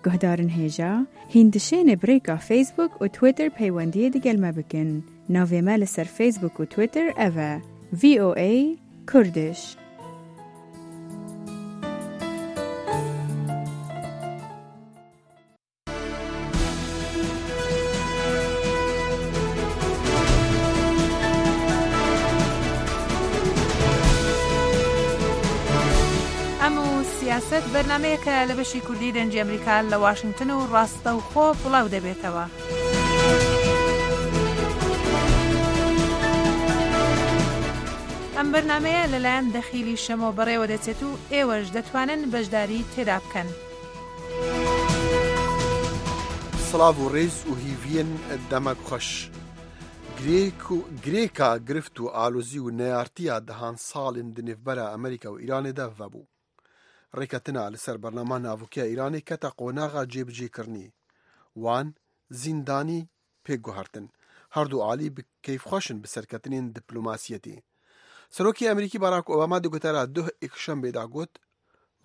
Guhdarên hêja, hîn dişêne bi rêka Facebook û Twitter peywendiyê digel me bikin. Navê me li ser Facebook û Twitter ev e, V O A Kurdish. Em û Siyaset, bernameyeke li beşî Kurdî Dengê Amerîka li Washington û Rastewxo belaw debêtewe. Em bernameye li layan Dexîlî Şemo berêwe dechêt û êwe ji detwanin beşdarî têda bikin. Silav û rêz û hîviyên demek xweş. Girêk û, girêka girift û alozî û neyartiya dehan salên di nêvbera Amerîka û Îranê de vebû. Rêketina li ser bernama navûkiya Îranê kete qonaxa cêbicêkirinê. Wan, zîndanî, pêk guhertin. Her du alî bi keyfxweş in bi serketinên diplomasiyetê. Serokê Amerîkî Barack Obama di gotara duh êkşembê de got,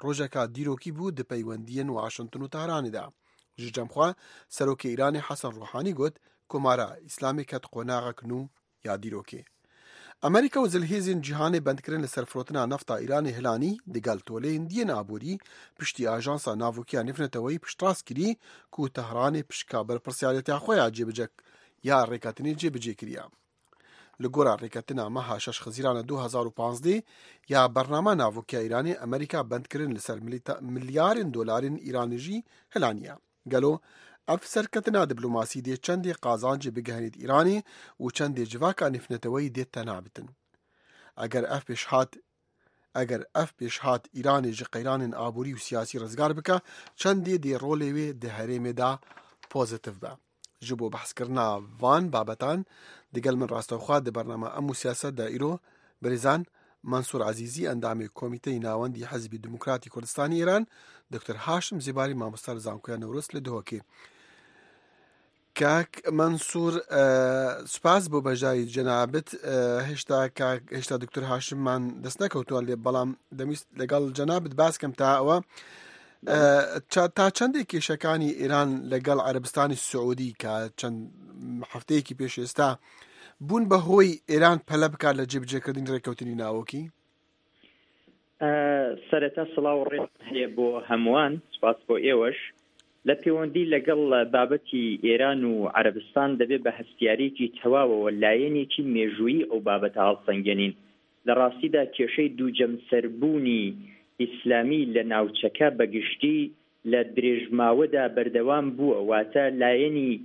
rojeka dîrokî bû di peywendiyên Washington û Tehranê de. Ji cem xwe, Serokê Îranê Hesen Ruhanî got, Komara Îslamê ket qonaxek nû ya dîrokê. Amerîka û zilhêzên cîhanê bendkirin li ser firotina nefta Îranê hilanî, digel toleyên diyên aborî piştî Ajansa Navokî ya Nêvneteweyî piştrast kirî ku Tehranê pişka berpirsiyariyeta xwe ya cêbicek ya rêketinê cêbicê kiriye. Li gora rêketina meha şeş Xizîrana du hezar û panzdeh ya bernama navokî ya Îranê, Amerîka bendkirin li ser milîta-, milyarên dolarên Îranê jî hilaniye. Gelo ev serketina diplomasî dê çendê qazancê bigihenît Îranê û çendê civaka nêvneteweyî dê tena bitin? Eger ev pêşhat, eger ev pêşhat Îranê ji qeyranên aborî û siyasî rizgar bike, çendê dê rolê wê di herêmê de pozîtîf be? Ji bo behskirina van babetan digel min rastewxwe di bernama Em û Siyaset de îro birêzan Mansûr Ezîzî, endamê Komîteyê Navendî Hizbî Demokratî Kurdistanî Îran, Doktor Haşim Zêbarî, mamosta li Zankoya Newroz li Duhokê. Kak Mansûr, e, spas bo beşdarî cenabit. E, hêşta kak, hêşta Doktor Haşim man dest nekewtû lê, belam demîst legal cenabit bas kem ta ewa. E, ça-, ta çendê kêşekanî Îran legel Erebistanî Siûdî ka çend hefteyekî pêş êsta bûn be hoy Îran pele bikar li cêbicêkirdinî rêkewtinî navokî? E, sereta silav û rêz heye bo hemûan, spas bo êweş. Li pêwendî legel babetî Îran û Erebistan dibê bi hestiyariyekî tewaw ew layenekî mêjûyî ew babeta hilsengenîn. Li rastî de kêşeyê dûcemserbûnî îslamî li navçeke bi giştî li dirêjmawe de berdewam bûye, wate layenî,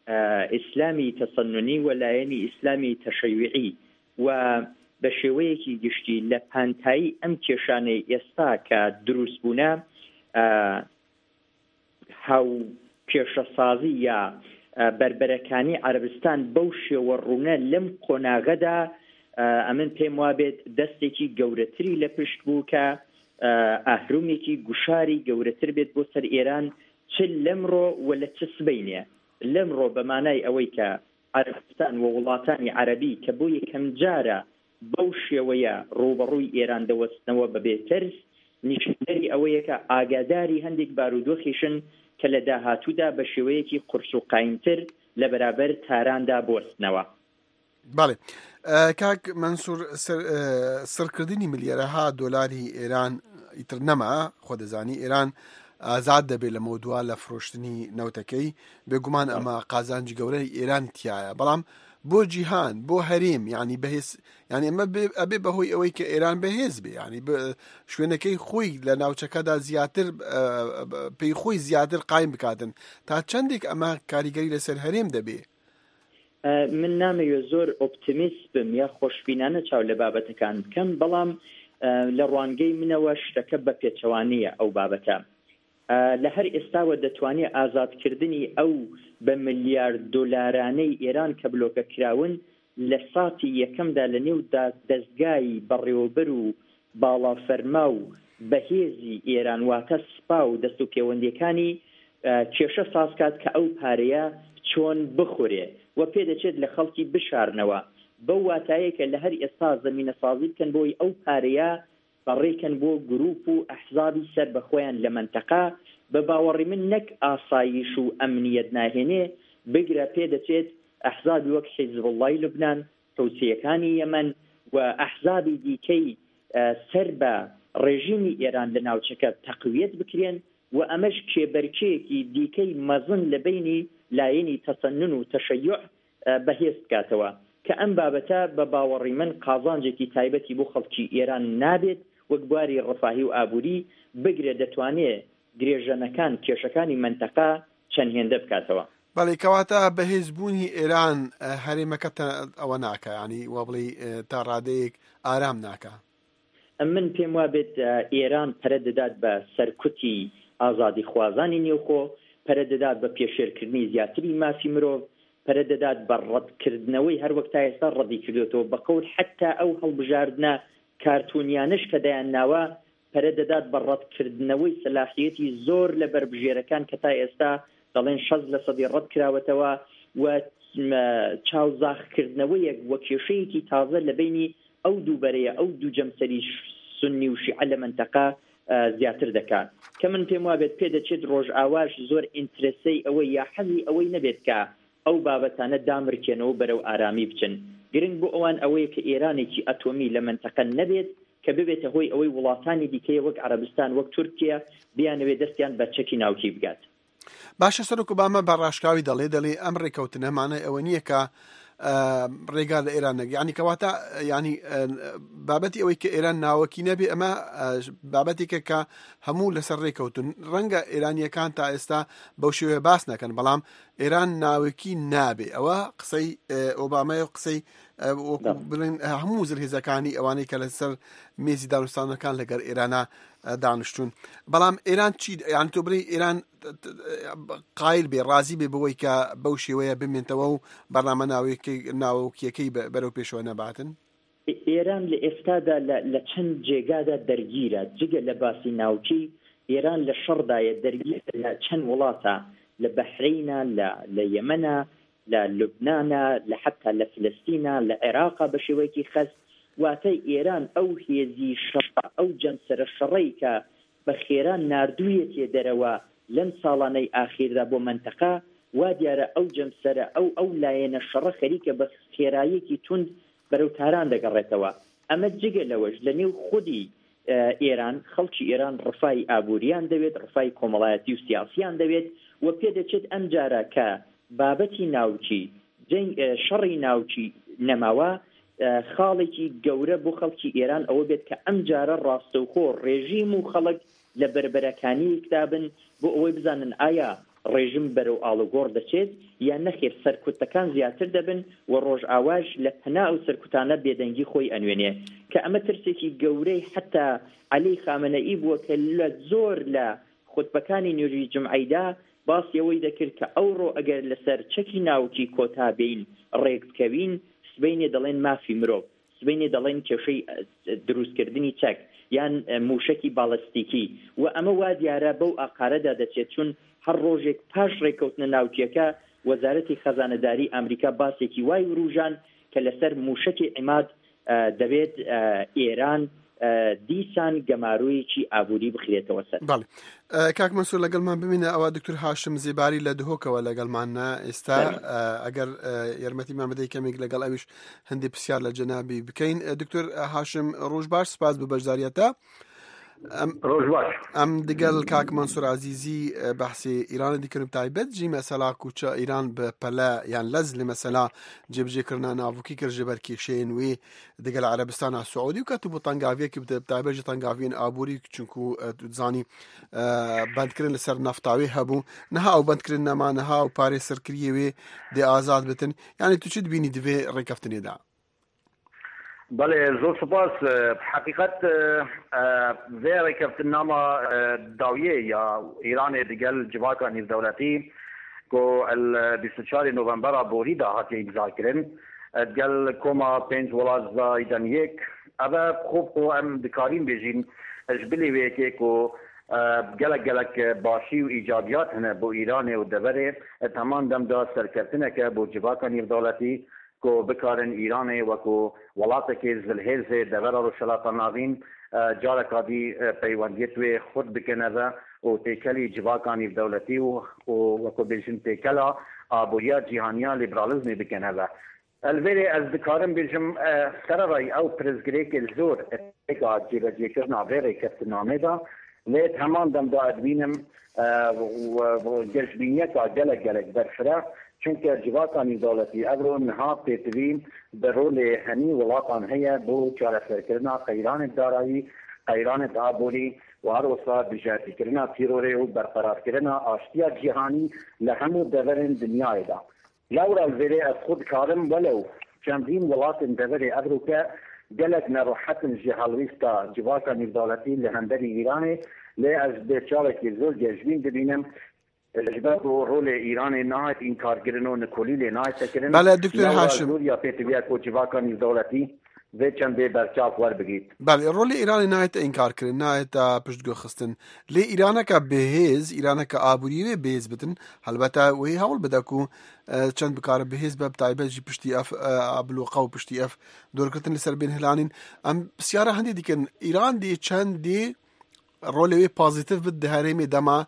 e, îslamî tesennunî û layenî îslamî teşeyyuî û bi şêweyekî giştî li pantayî em kêşanê êsta ke dirûst bûne, e, hawkêşesazî ya, e, berberekanî Erebistan bew şêwe rûne lem qonaxe de, e, emin pêm wabêt destekî gewretirî li pişt bû ke, e, ehrûmekî guşarî gewretir bêt bo ser Êran, çi lemro we li çi sibeynê. Lemro bi manay ewey ke Erebistan we welatanî Erebî ke bo yekem cara bew şêweye rûberûyî Êran de westnewe bibê tirs, nîşanderî ewê ye ke agadarî hindek barûdoxî şin ke li dahatû de bi şêweyekî qurs û qayîntir li beraber Taran de biwestnewe. Belê. E, kak Mensûr, ser-, e, sirkirdinî milyara ha dolarî Êran îtir nema, xwe dizanî. Êran azad debe li mewdûa li firoştinî newtekey. Bêguman ema qazancî gewre Êran tiya ye. Belam بۆ جیهان، بۆ هەرێم، یعنی بەهێز، یعنی ئەمە بێ، ئەبێ بەهۆی ئەوەی کە ئێران بەهێز بێ، یعنی ب-، شوێنەکەی خۆی لە ناوچەکەدا زیاتر، ئە، پێی خۆی زیاتر قایم بکاتن. تا چەندێک ئەمە کاریگەری لەسەر هەرێم دەبێ؟ ئە، من نامەوێ زۆر ئۆپتیمیست بم یا خۆشبینانە چاو لە بابەتەکان بکەم، بەڵام، ئە، لە ڕوانگەی منەوە شتەکە بە پێچەوانەیە ئەو بابەتە. ئە، لە هەر ئێستاوە دەتوانێت ئازادکردنی ئەو بە ملیار دۆلارانەی ئێران کە بلۆکە کراون لە ساتی یەکەمدا لە نێو دا-، دەستگای بەڕێوەبەر و باڵا فەرما و بەهێزی ئێران، واتە سپا و دەست و پێوەندیەکانی، ئە، کێشە ساز کات کە ئەو پارەیە چۆن بخورێ و پێ دەچێت لە خەڵکی بشارنەوە. بەو واتایە کە لە هەر ئێستا زەمینە سازی بکەن بۆی ئەو پارەیە بەڕێکەن بۆ گروپ و ئەحزابی سەر بە خۆیان لە منتەقە. بە باوەڕی من نەک ئاسایش و ئەمنیەت ناهێنێ، بگرە پێ دەچێت ئەحزابی وەک حیزبوڵڵای لوبنان، حوسیەکانی یەمەن و ئەحزابی دیکەی، ئە، سەر بە ڕێژیمی ئێران لە ناوچەکە تەقویەت بکرێن و ئەمەش کێبەرکێکی دیکەی مەزن لە بینی لایەنی تەسەنن و تەشەیوع، ئە، بەهێز بکاتەوە کە ئەم بابەتە بە باوەڕی من قازانجێکی تایبەتی بۆ خەڵکی ئێران نابێت، وەک بواری ڕفاهی و ئابووری بگرێ دەتوانێ گرێژەنەکان، کێشەکانی منتەقە چەند هێندە بکاتەوە. بەڵێ، کەواتە بەهێزبوونی ئێران، ئە، هەرێمەکە تە-، ئەوە ناکە، یعنی وە بڵێ، ئە، تا ڕادەیەک ئارام ناکە. من پێم وا بێت، ئە، ئێران پەرە دەدات بە سەرکوتی ئازادی خوازانی نێوخۆ، پەرە دەدات بە پێشێلکردنی زیاتری مافی مرۆڤ، پەرە دەدات بە ڕەتکردنەوەی، هەر وەک تا ئێستا ڕەتی کردوێتەوە بە قەول، حتا ئەو هەڵبژاردنە کارتونیانش کە دەیان ناوە، پەرە دەدات بە ڕەتکردنەوەی سەلاحیەتی زۆر لە بەربژێرەکان کە تا ئێستا دەڵێن شەست لە سەدی ڕەت کراوەتەوە و، مە، چاوزاخکردنەوەیەک وە کێشەیەکی تازە لە بینی ئەو دوو بەرەیە، ئەو دوو جەمسەری ش-، سوننی و شیعە لە منتەقە، ئە، زیاتر دەکات. کە من پێم وابێت پێ دەچێت ڕۆژئاواش زۆر ئینترەسەی ئەوەی یا حەزی ئەوەی نەبێت کە ئەو بابەتانە دامرکێنەوە بەرەو ئارامی بچن. گرنگ بۆ ئەوان ئەوەیە کە ئێرانێکی ئەتۆمی لە منتەقە نەبێت کە ببێتە هۆی ئەوەی وڵاتانی دیکەی وەک عەرەبستان، وەک تورکیا بیانەوێت دەستیان بە چەکی ناوکی بگات. باشە، سەرۆک ئۆباما بە ڕاشکاوی دەڵێ، دەڵێ ئەم ڕێکەوتنە مانای ئەوە نییە کە، ئە، ڕێگا لە ئێران نەگرێت. یعنی کەواتە، یعنی، ئە، بابەتی ئەوەی کە ئێران ناوەکی نەبێ، ئەمە، ئە، بابەتێکە کە هەموو لەسەر ڕێکەوتن. ڕەنگە ئێرانیەکان تا ئێستا بەو شێوەیە باس نەکەن، بەڵام ئێران ناوەکی نابێ. ئەوە قسەی، ئە، ئۆبامای و قسەی، ئە، وەکو بەڵێ. بڵێن، ئە، هەموو زلهێزەکانی ئەوانەی کە لەسەر مێزی دانوستانەکان لەگەر ئێرانە، ئە، دانیشتون. بەڵام ئێران چی، یعنی تۆ بڵێ ئێران قایل بێ، ڕازی بێ بەوەی کە بەو شێوەیە بمێنتەوە و بەرنامە ناوەکەی-، ناوەکیەکەی بە-، بەرەو پێشەوە نەباتن؟ ئێران لە ئێستادا لە، لە چەند جێگادا دەرگیرە. جگە لە باسی ناوکی، ئێران لە شەڕدایە، دەرگیرە لە چەند وڵاتە، لە بەحرینە، لە، لە یەمەنە، لە لوبنانە، لە حتا لە فلستینە، لە عێراقە بە شێوەیەکی خەست. واتە ئێران ئەو هێزی شەڕە، ئەو جەمسەرە شەڕەی کە بە خێرا ناردوویەتیە دەرەوە لەم ساڵانەی ئاخیردا بۆ مەنتەقە، وا دیارە ئەو جەمسەرە، ئەو، ئەو لایەنە شەڕە خەریکە بە خێراییەکی توند بەرەو تاران دەگەڕێتەوە. ئەمە جگە لەوەش لە نێو خودی، ئە، ئێران، خەڵکی ئێران ڕفای ئابووریان دەوێت، ڕفای کۆمەڵایەتی و سیاسیان دەوێت و پێ دەچێت ئەم جارە کە بابەتی ناوکی، جەنگ، ئە، شەڕی ناوکی نەماوە، ئە، خاڵێکی گەورە بۆ خەڵکی ئێران ئەوە بێت کە ئەم جارە ڕاستەوخۆ ڕێژیم و خەڵک لە بەربەرەکانی یەکدا بن بۆ ئەوەی بزانن ئایا ڕێژیم بەرەو ئاڵوگۆڕ دەچێت یان نەخێر، سەرکوتەکان زیاتر دەبن و ڕۆژئاواش لە پەنا ئەو سەرکوتانە بێدەنگی خۆی ئەنوێنێ، کە ئەمە ترسێکی گەورەی حتا عەلی خامەنەئی بووە کە لە زۆر لە خوتبەکانی نوێژی جمعەیدا باسی ئەوەی دەکرد کە ئەوڕۆ ئەگەر لەسەر چەکی ناوکی کۆتا بین، ڕێک بکەوین، سبەینێ دەڵێن مافی مرۆڤ، سبەینێ دەڵێن کێشەی، ئە، دروستکردنی چەک یان، ئە، موشەکی باڵستیکی. و ئەمە وا دیارە بەو ئاقارەدا دەچێت، چون هەر ڕۆژێک پاش ڕێکەوتنە ناوکیەکە وەزارەتی خەزانەداری ئەمریکا باسێکی وای وروژان کە لەسەر موشەکی عیماد، ئە، دەبێت، ئە، ئێران، ئە، دیسان گەمارۆیەکی ئابووری بخرێتەوە سەر. بەڵێ. ئە، کاک مەنسوور، لەگەڵمان بمینە. ئەوە دکتۆر هاشم زێباری لە دهۆکەوە لەگەڵمانە ئێستا. بەڵێ. ئە، ئەگەر، ئە، یارمەتیمان بدەی کەمێک لەگەڵ ئەویش هەندێک پرسیار لە جەنابی بکەین. ئە، دکتۆر هاشم، ڕۆژ باش، سپاس بۆ بەشداریەتە. Em, Roj baş. Em digel kak Mansur Azîzî, e, behsê Îranê dikin, bi taybet jî mesela ku ça Îran bi pele yan lez li mesela cêbicêkirina navokî kir ji ber kêşeyên wê digel Erebistana Siûdî û ketibû tengaviyekî bi, bi taybet jî tengaviyên aborî, çunku, e, tu dizanî, e, bendkirin li ser nefta wê hebû. Niha ew bendkirin nema, niha ew parê serkiriyê wê dê azad bitin. Yanî tu çi dibînî di vê rêkeftinê de? Belê, zor spas. E, heqîqet, e, e, vê rêkeftinnama, e, dawiyê ya Îranê digel civaka nîvdewletî ku el bîst û çarê novembera borî de hatiye îmza kirin, e, digel koma pênc welat zayden yek, ev e xwe bi xwe em dikarîn bêjîn, e, ji bilî wê yekê ku, e, gelek gelek başî û îcabiyat hene bo Îranê û deverê, e, heman dem de serkeftineke bo civaka nîvdewletî, ku bikarin Îranê wekû welatekê zilhêzê devera Rojhilata Navîn, e, careka dî, e, peywendiyê wê xurt bikine ve û têkelî civaka nîvdewletî û, û wekû bêjin têkela aboriya cîhaniya lîberalîzmê bikine ve. Li vêrê ez dikarim bêjim, e, sererayî ew pirsgirêkê zor, e, têka cêbecêkirina vê rêkeftinamê de, lê di heman dem de ez dibînim, e, û, û geşbîniyeka gelek gelek berfireh, çunke civaka nîvdewletî evro niha pêtivî bi rolê henî welatan heye bo çareserkirina qeyranê darayî, qeyranê aborî û her wisa dijberkirina tîrorê û berqerarkirina aştiya cîhanî li hemû deverên dinyayê de. Lewra li vêrê ez xwe dikarim, welew çendîn welatên deverê evroke gelek nerehet in ji helwêsta civaka nîvdewletî li hemberî Îranê, lê ez bi çavekî zor geşbîn dibînim, ji ber ku rolê Îranê nahête înkarkirin û nikolî lê nahête kirin. Bele, Doktor Lewra Haşim. Zor ya pêtiviya ku civaka nîvdewletî vê çendê berçav werbigît. Belê, rolê Îranê nayête înkarkirin, nayête piştgulxistin. Lê Îraneke bihêz, Îraneke aborî wê bihêz bitin, helbete wê hewl bide ku, e, çend bikare bihêz be, bi taybet jî piştî ev, e, bloqa û piştî ev dorgirtin li ser bên hilanîn. Em pisyara hindê dikin, Îran dê çend dê rolê wê pozîtîf bit di herêmê dema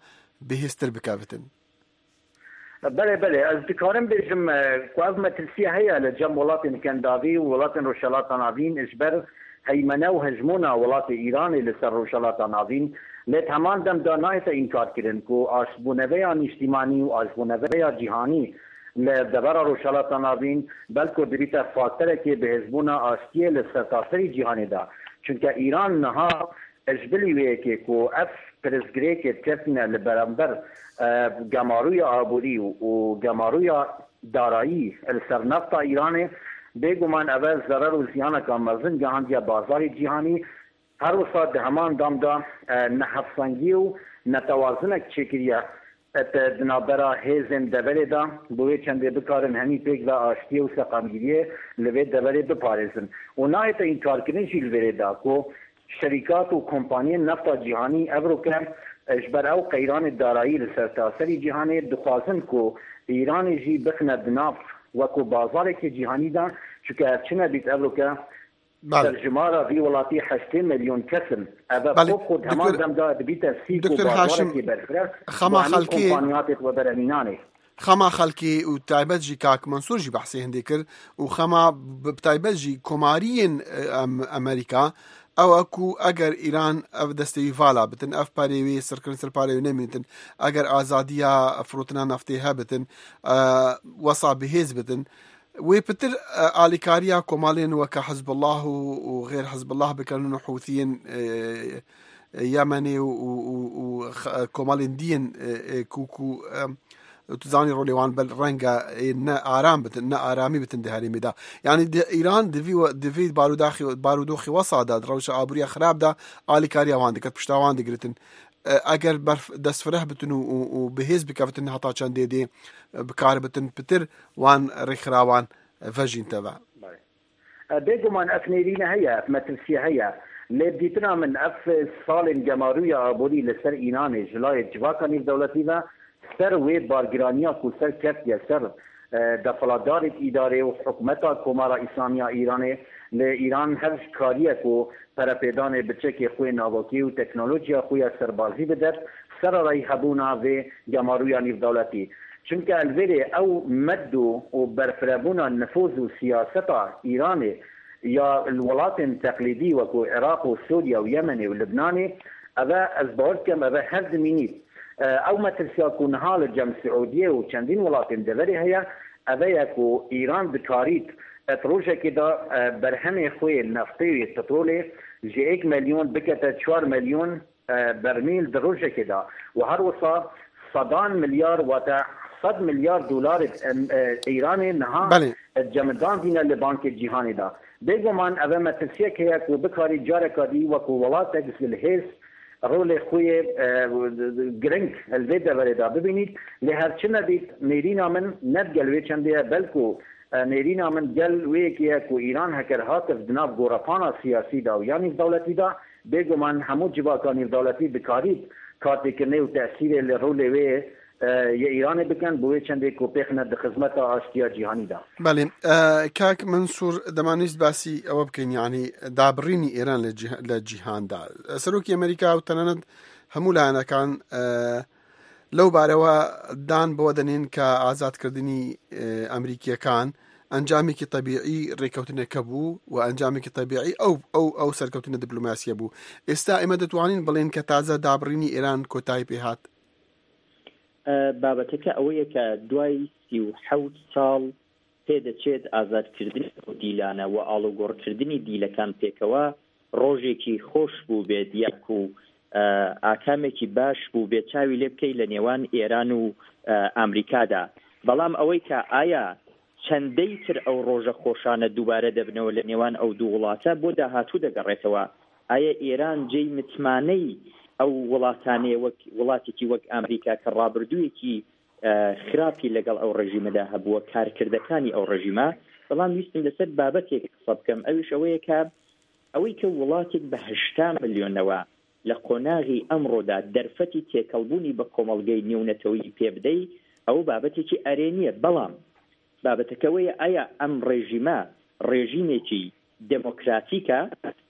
bihêztir bike bitin? Belê, belê. Ez dikarim bêjim, e, ku ev metirsiye heye li cem welatên Kendavî û welatên Rojhilata Navîn ji ber heymene û hejmona welatê Îranê li ser Rojhilata Navîn. Lê di heman dem de nayête înkarkirin ku aştbûneveya nîştîmanî û aştbûneveya cîhanî li devera Rojhilata Navîn belku dibîte faktorekê bihêzbûna aştiyê li sertaserî cîhanê de. Çunke Îran niha Ji bilî wê yekê ku ev pirsgirêkê diketine li beramber, e, gemarûya aborî û, û gemarûya darayî li ser nefta Îranê, bêguman ev e zerer û ziyaneka mezin gihandiye bazarê cîhanî. Her wisa di heman dem de, e, nehevsengî û netewazinek çêkiriye. Et di navbera hêzên deverê de, bi wê çendê bikarin henî pêk ve aştiyê û seqamgiriyê li vê deverê biparêzin. Û nayête înkarkirin jî li vêrê de ku şerîkat û kompaniyên nefta cîhanî evroke, e, ji ber ew qeyranê darayî li sertaserî cîhanê dixwazin ku Îranê jî bixine di nav wekû bazarekê cîhanî de, çunke ev çi nebît evroke Belê. Serjimara vî welatî heştê milyon kes in. Ev e Belê. Xwe xwe di heman Doktor, dem de dibîte sîk û Doktor Haşim, bazarekî berfireh xema û hemî xelkê, kompaniyatê xwe bere mînanê. Xema xelkê û taybet jî kak Mansur jî behsê hindê kir û xema bi, bi taybet jî komariyên, e, em, Amerîka, ew e ku eger Îran ev destê wî vala bitin, ev perê wê sirkirin ser parê wê nemînitin, eger azadiya firotina neftê hebitin, e, wesa bihêz bitin, Wê pitir, e, alîkariya komalên weke Hizbullah û, û xêr Hizbullah bikin û Hûthiyên, e, e, Yemenê û, û, û, û x-, e, komalên diyên, e, e, ku, ku, e, tu zanî rolê wan bel renge, e, ne aram bitin, ne aramî bitin di herêmê de. Yanî di Îran di vî we-, di vî barodaxî, barodoxî wesa de, di rewşa aboriya xirab de alîkariya wan diket, pişta wan digiritin. E, eger berf-, destfireh bitin û, û, û bihêz bikevitin heta çendê dê, e, bikaribitin pitir wan rêkxirawan vejînte ve. Belê. E, bêguman ev nêrîne heye, ev metirsîye heye. Lê bi dîtina min ev salên gemarûya aborî li ser Îranê ji layê civaka nêvdewletî ve ser wê bargiraniya ku ser ketiye ser, e, desthilatdarê îdarê û hikûmeta Komara Îslamî ya Îranê, lê Îran her ji kariye ku perepêdanê biçekê xwe navokî û teknolojiya xwe ya serbazî bidet, sererayî hebûna vê gemarûya nîvdewletî. Çimke li vêrê ew medû û berfirebûna nifûz û siyaseta Îranê ya li welatên teqlîdî wekû Iraq û Sûriye û Yemenê û Libnanê, Eve ez bawer dikim, eve hev dimînît. E, ew metirsiya ku niha li cem Siûdiyê û çendîn welatên deverê heye, eve ye ku Îran dikarît et rojekê de, e, berhemê xwe yê neftê û yê petrolê ji êk milyon bikete çar milyon, e, bermîl di rojekê de û her wisa sedan milyar, wate sed milyar dolarê, em, e, Îranê niha Belê. e, cemidandîne li bankê cîhanê de. Bêguman eve metirsiyek heye ku bikarî careka dî wekû welatek zilhêz rolê xwe yê, e, giring li vê deverê de bibînît. Lê her çi nebît, nêrîna min ne digel wê çendê ye, belku, e, nêrîna min gel wê yekê ye ku Îran heger hatif di nav gorepana siyasî de û ya nîvdewletî de, bêguman hemû civaka nîvdewletî dikarît kartêkirinê û tesîrê li rolê wê, e, yê Îranê bikin, bi wê çendê ku pêxine di xizmeta aştiya cîhanî de. Belê. E, kak Mensûr, dema nîst basî ewe bikin, yanî dabirînî Îran li cih-, li cîhan de. Serokê Amerîka û tenanet hemû layenekan, e, لەو بارەوە دان بۆ دەنێن کە ئازادکردنی، ئێ، ئەمریکیەکان ئەنجامێکی تەبیعی ڕێکەوتنەکە بوو و ئەنجامێکی تەبیعی ئەو، ئەو، ئەو سەرکەوتنە دیپلۆماسیە بوو. ئێستا ئێمە دەتوانین بڵێن کە تازە دابڕینی ئێران کۆتایی پێ هات؟ ئە، بابەتەکە ئەوەیە کە دوای سی و حەوت ساڵ پێدەچێت ئازادکردنی ئەو دیلانە و ئاڵوگۆڕکردنی دیلەکان پێکەوە ڕۆژێکی خۆش بوو بێت، یاکو، ئە، ئاکامێکی باش بوو بێت چاوی لێ بکەی لە نێوان ئێران و، ئە، ئەمریکادا. بەڵام ئەوەی کە ئایا چەندەی تر ئەو ڕۆژە خۆشانە دووبارە دەبنەوە لە نێوان ئەو دوو وڵاتە بۆ داهاتوو دەگەڕێتەوە؟ ئایا ئێران جێی متمانەی ئەو وڵاتانەیە وەک وڵاتێکی وەک ئەمریکا کە ڕابردوویەکی، ئە، خراپی لەگەڵ ئەو ڕژیمەدا هەبووە، کارکردەکانی ئەو ڕژیمە؟ بەڵام ویستم لەسەر بابەتێک قسە بکەم، ئەویش ئەوەیە کە ئەوەی کە وڵاتێک بە هەشتا ملیۆنەوە لە قۆناغی ئەمڕۆدا دەرفەتی تێکەڵبوونی بە کۆمەڵگەی نێونەتەوەیی پێ بدەی، ئەوە بابەتێکی ئەرێنیە. بەڵام بابەتەکە وەیە، ئایا ئەم ڕێژیمە ڕێژیمێکی دموکراتیکە؟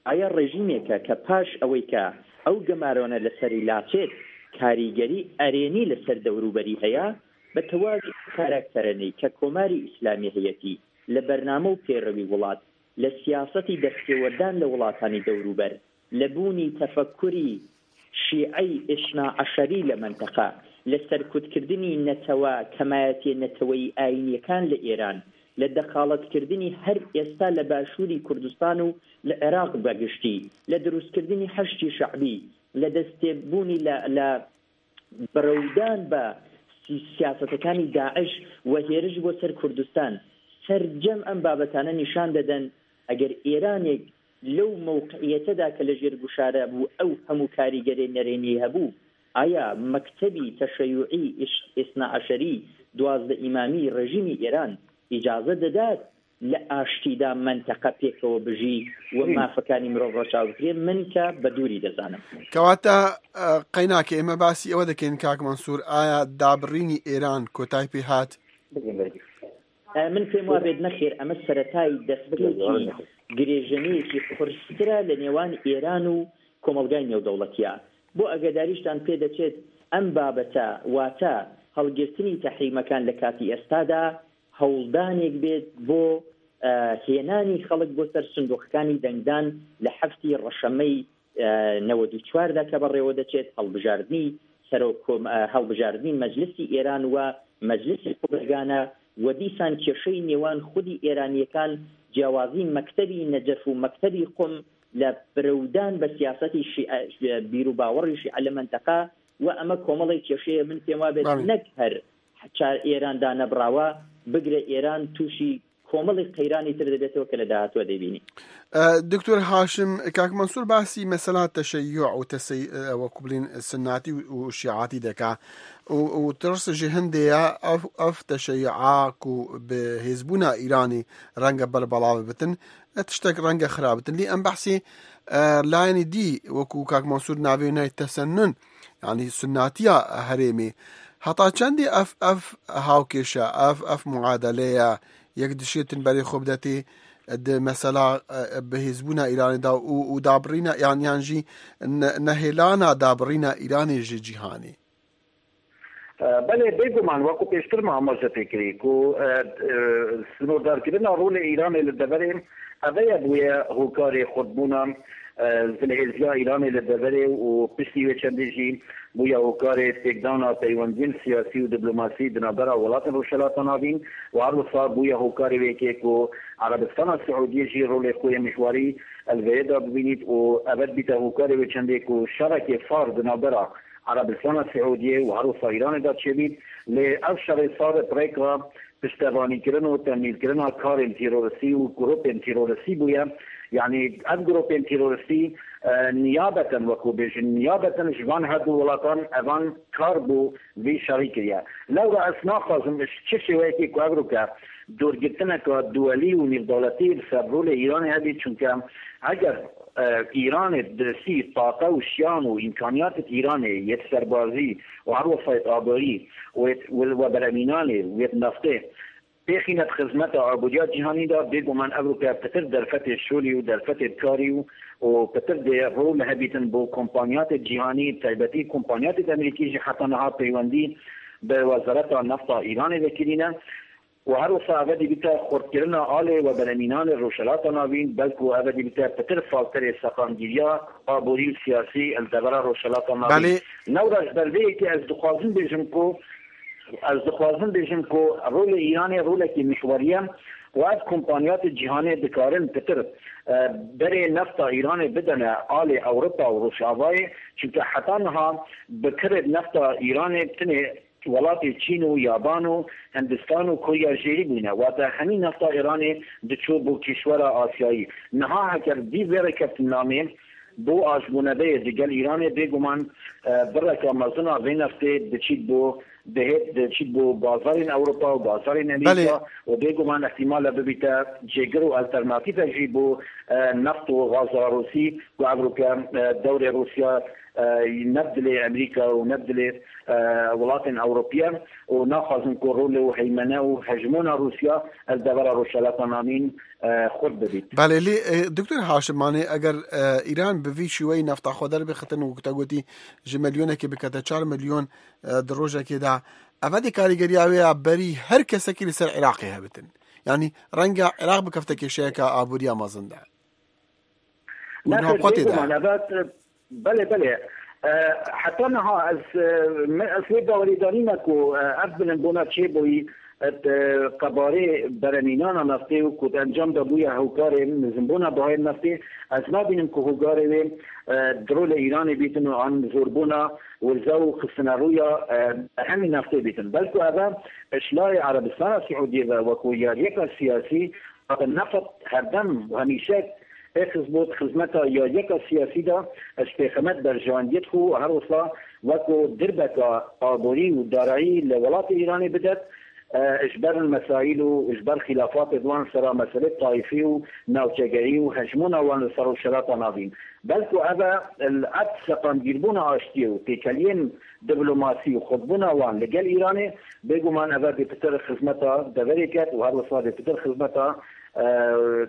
ئایا ڕێژیمێکە کە پاش ئەوەی کە ئەو گەمارۆنە لەسەری لاچێت، کاریگەری ئەرێنی لەسەر دەوروبەری هەیە؟ بە تەواوی کاراکتەرەنەی کە کۆماری ئیسلامی هەیەتی لە بەرنامە و پێڕەوی وڵات، لە سیاسەتی دەستێوەردان لە وڵاتانی دەوروبەر، لە بوونی تەفەکوری شیعەی ئیسنا عەشەری لە مەنتەقە، لە سەرکوتکردنی نەتەوە کەمایەتیە نەتەوەی ئاینیەکان لە ئێران، لە دەخاڵەتکردنی هەر ئێستا لە باشووری کوردستان و لە عێراق بەگشتی، لە دروستکردنی حەشدی شەعبی، لە دەستێبوونی لە، لە بەرەودان بە سی-، سیاسەتەکانی داعش و هێرش بۆ سەر کوردستان. سەرجەم ئەم بابەتانە نیشان دەدەن، ئەگەر ئێرانێک لەو مەوقعیەتەدا کە لە ژێر گوشارە بوو، ئەو هەموو کاریگەری نەرێنی هەبوو، ئایا مەکتەبی تەشەیوعی ئیش-، ئیسنا عەشەری دوازدە ئیمامی ڕێژیمی ئێران ئیجازە دەدات لە ئاشتیدا مەنتەقە پێکەوە بژی و مافەکانی مرۆڤ ڕەچاو بکرێ؟ من کە بە دووری دەزانم. کەواتە، ئە، قەیناکە ئێمە باسی ئەوە دەکەین، کاک مەنسوور، ئایا دابڕینی ئێران کۆتای پێ هات؟ ئە، من پێم وابێت نەخێر، ئەمە سەرەتای دەستپێکی گرێژەنەیەکی قورسترە لە نێوان ئێران و کۆمەڵگای نێودەوڵەتیە. بۆ ئەگەداریشتان پێ دەچێت ئەم بابەتە، واتە هەڵگرتنی تەحریمەکان لە کاتی ئێستادا، هەوڵدانێک بێت بۆ، ئە، هێنانی خەڵک بۆ سەر سندوقەکانی دەنگدان لە حەفتی ڕەشەمەی، ئە، نەوەد و چواردا کە بەڕێوە دەچێت، هەڵبژاردنی سەرۆک کۆم-، ئە، هەڵبژاردنی مەجلسی ئێران و مەجلسی خۆبەرگانە و دیسان کێشەی نێوان خودی ئێرانیەکان، جیاوازی مەکتەبی نەجەف و مەکتەبی قوم لە برەودان بە سیاسەتی شیعە، بیر و باوەڕی شیعە لە مەنتەقە و ئەمە کۆمەڵی کێشەیە من پێم وابێت بەڵێ. نەک هەر چار ئێران دانەبڕاوە، بگرە ئێران تووشی کۆمەڵی قەیرانی تر دەبێتەوە کە لە داهاتووە دەیبینی. ئە، دکتۆر هاشم، کاک مەنسوور باسی مەسەلا تەشەیوع و تەسەی-، ئە، وەکو بڵین سناتی و، و شیعاتی دەکا. و، و ترس ژێ هەندێ یا ئەف، ئەف تەشەیوعا کو بە هێزبوونا ئیرانی ڕەنگە بەربەڵاو بتن، ئە، تشتێک ڕەنگە خراپ بتن. لێ ئەم بەحسی، ئە، لایەنی دی وەکو کاک مەنسوور ناوێ نای تەسەنن، یعنی سناتیە هەرێمێ. هەتا چەندی ئەف، ئەف هاوکێشە، ئەف، ئەف معادلەیە، یەک دشێتن بەرێ خۆ بدەتێ، د مەسەلا، ئە، بەهێزبوونا ئیرانێدا و، و دابڕینە، یان، یان ژی نە-، نەهێلانا دابڕینە ئیرانێ ژێ جیهانێ. ئە، بەڵێ، بێگومان، وەکو پێشتر مامۆستا پێکری، کو، ئە، ئە، سنووردارکردنا ڕۆلێ ئیرانێ لە دەڤەرێ، ئەڤەیە بووە هۆکارێ خودبوونا، Zilhêziya Îranê li deverê û piştî wê çendê jî bûye hokarê têkdana peywendiyên siyasî û diplomasî di navbera welatên Rojhilata Navîn û her wisa bûye hokarê wê yekê ku Erebistana Siûdiyê jî rolê xwe yê mihwarî li vê yê de bibînît û eve dibîte hokarê wê çendê ku şerekê sar di navbera Erebistana Siûdiyê û her wisa Îranê de çêbît. Lê ev şerê sar bi rêka piştevanîkirin û temîlkirina karên teroristî û grûpên teroristî bûye. Yanî ev grûpên teroristî, e, niyabeten, wekû bêjin, niyabeten ji van her du welatan evan kar bo vî şerî kiriye. Lewra ez naxwazim ji çi şêweyekê ku ev rûke dûrgirtineka duwelî û nîvdewletî li ser rolê Îranê hebî, çunke eger, e, Îranê bi ristî taqe û şiyan û îmkaniyatê Îranê yê serbazî û her wesayet aborî û yê, û we beremînanê û yê naftê pêxîne di xizmeta aboriya cîhanî de, bêguman ev rûke pitir derfetê şolî û derfetê karî û, û pitir dê rol hebîtin bo kompanyatê cîhanî, taybetî kompanyatê Amerîkî jî heta niha peywendî bi Wezareta Nefta Îranê vekirîne û her wisa eve dibîte xurtkirina alê we beremînanê Rojhilata Navîn, belku eve dibîte pitir faktorê seqamgiriya aborî û siyasî li devera Rojhilata Navîn. Belê. Lewra ji ber vê yekê ez dixwazim bêjim ku Ez dixwazim bêjim ku rolê Îranê rolekî mihwerî ye û ev kompanyatê cîhanê dikarin pitir, e, berê nefta Îranê bidene alê Ewropa û Rojavayê, çunke heta niha bi kirê nefta Îranê tenê welatê Çîn û Yaban û Hindistan û Korya Jêrî bûne. Wate hemî nefta Îranê diçû bo kîşwera Asyayî. Niha heger vî vê rêkeftinamê bo aşbûnebeyê digel Îranê, bêguman, e, bireka mezin a vê neftê diçît bo, dihêt diçît bo bazarên Ewropa û bazarên Amerîka Belê. û bêguman ihtimal e bibîte cêgir û alternatîfe jî bo, e, neft û gaza Rûsî ku ev rûke, e, dewrê Rûsya, e, ne bi dilê Amerîka û ne bi dilê, e, welatên Ewropî ye û naxwazin ku rol û heymene û hejmona Rûsya li devera Rojhilata Navîn, e, xurt bibît. Belê, lê, e, Doktor Haşim, manê eger, e, Îran bi vî şîweyî nefta xwe derbixitin û te gotî ji milyonekê bikete çar milyon, e, di rojekê de, eve dê karîgeriya wê ya berî her kesekî li ser Iraqê hebitin. Yanî renga Iraq bikefte kêşeyeka aboriya mezin de. Û Nexêr, naxwe tê de. Bêguman, eve, belê, belê. E, heta niha ez, e, me, ez wê bawerî danîme ku, e, ev bilimbûna çêbûyî, e, di qebarê beremînana neftê û ku di encam de bûye hokarê nizinbûna bihayê neftê, ez nabînim ku hokarê wê, e, di rolê Îranê bîtin û an zorbûna wirze û xistine rûya, e, hemî neftê bîtin. Belku eve ji layê Erebistana Siûdiyê ve wekû yariyeka siyasî, neft herdem û hemîşek ê xizbû di xizmeta yariyeka siyasî de, ji pêxemet berjewendiyê dixwe û her wisa wekû dirbeka aborî û darayî li welatê Îranê bidet, e, ji ber mesaîl û ji ber xîlafatê di wan sera meselê tayîfî û navçegerî û hejmûna wan li ser Rojhilata Navîn. Belku ev e, ev seqamgîrbûna aştiyê û têkeliyên diplomasî û xurtbûna wan li gel Îranê, bêguman ev e dê pitir xizmeta deverê ket û her wisa dê pitir xizmeta, e,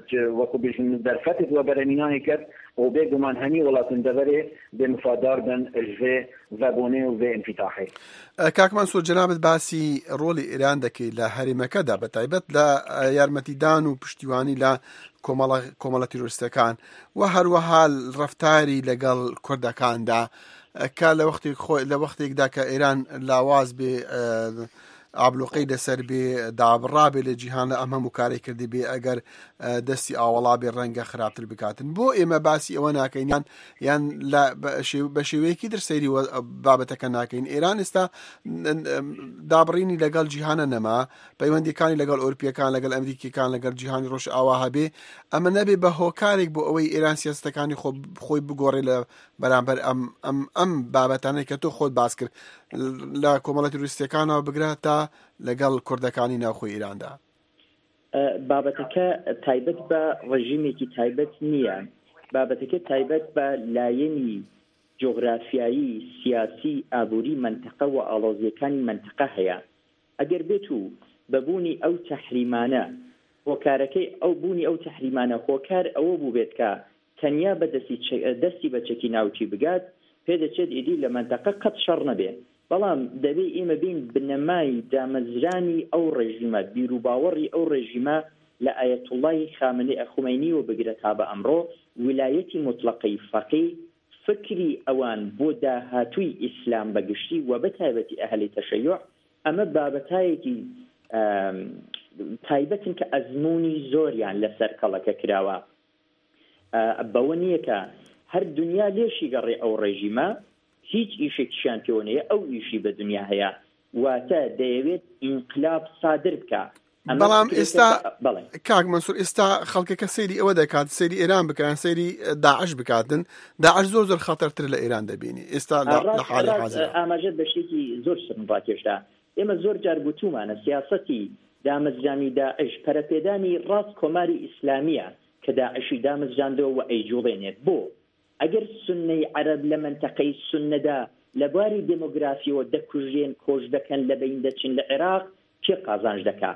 ci-, wekû bêjin derfetê di we beremînanê ket û bêguman hemî welatên deverê dê mifadar bin ji vê vebûnê û vê înfîtahê. E, Kak Mansûr, cenabet basî rolê Îran dekê li herêmeke de, bi taybet li, e, yarmetîdan û piştîwanî li komela, komela terorîstekan û her wiha reftarî li gel Kurdekan de, e, ka li wextêk xwe, li wextêk de ke Îran lawaz bê, e, abloqey li ser bê, dabirabê li cîhan, em hemû karê kirdî bê, eger, e, destî awala bê, renge xirabtir bikatin. Bo ême basî ewe nakeyn, yan, yan le, be, şêw-, be şêweyekî dir seyrî we, babeteke nakeyn. Îran esta, n-, n-, dabirînî li gel cîhana nema, peywendîkanî li gel Ewropîyekan, li gel Amerîkîkan, li gel cîhanî Rojava hebê, em ê nebê be hokarek bo ewey Îran siyasetikanî xwe, xwe bigore li beramber em, em, em babetane ke tu xwe bas kir. Li komela terorîstekan bigire ta li gel Kurdekanî navxwe Îran de. E, babeteke taybet be rejîmekî taybet niye. Babeteke taybet be layenî cografyayî, siyasî, aborî menteqe û aloziyekani menteqe heye. Eger bêt û bebûnî ew tehrîmane, hokarekey ew bûnî ew tehrîmane, hokar ewe bûbêt ke tenya be destî çe-, destî be çekî navçî bigat, pê diçêt êdî li menteqe qet şer nebe. Belam debê ême bên binemayî damezranî ew rejîme, bîrûbawerî ew rejîme لە ئایەتوڵڵاهی خامنەی خومەینیەوە بگرە تا بە ئەمڕۆ، ویلایەتی موتڵەقەی فەقی، فکری ئەوان بۆ داهاتووی ئیسلام بە گشتی و بە تایبەتی ئەهلی تەشەیوع، ئەمە بابەتایەکی، ئەم، تایبەتن کە ئەزموونی زۆریان لەسەر کەڵەکە کراوە. ئە، بەوە نییە کە هەر دنیا لێشی گەڕێ ئەو ڕێژیمە، هیچ ئیشێکیشیان پێوە نیە، ئەو ئیشی بە دنیا هەیە، واتە دەیەوێت ئینقلاب سادر بکە. ئەمە بەڵام فکرێکە ئێستا کە، بەڵێ. کاک مەنسوور، ئێستا خەڵکەکە سەیری ئەوە دەکات، سەیری ئێران بکەن، سەیری داعش بکاتن. داعش زۆر زۆر خەتەرتر لە ئێران دەبینی ئێستا لە، لە ڕاست، حالی ڕاست، حاضرە. ئاماژە بە شتێکی زۆر سەرم ڕاکێشا. ئێمە زۆر جار گوتومانە، سیاسەتی دامەزرانی داعش پەرەپێدانی ڕاست کۆماری ئیسلامیە کە داعشی دامەزراندەوە و ئەیجوڵێنێت. بۆ؟ ئەگەر سوننەی عەرەب لە مەنتەقەی سوننەدا لە بواری دێمۆگرافیەوە دەکوژرێن، کۆچ دەکەن، لە بین دەچن لە عێراق، کێ قازانج دەکا؟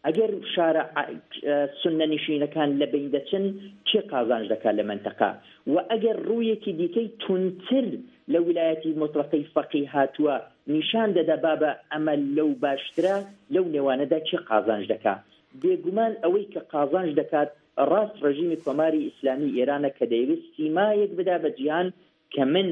ئەگەر شارە ع-، ئە، سوننە نشینەکان لە بین دەچن، کێ قازانج دەکا لە مەنتەقە؟ و ئەگەر ڕوویەکی دیکەی تونتر لە ویلایەتی مطلقەی فەقی هاتووە، نیشان دەدا بابە ئەمە لەو باشترە، لەو نێوانەدا کێ قازانج دەکا؟ بێگومان ئەوەی کە قازانج دەکات ڕاست ڕژیمی کۆماری ئیسلامی ئێرانە کە دەیەوێت سیمایەک بدا بە جیهان کە من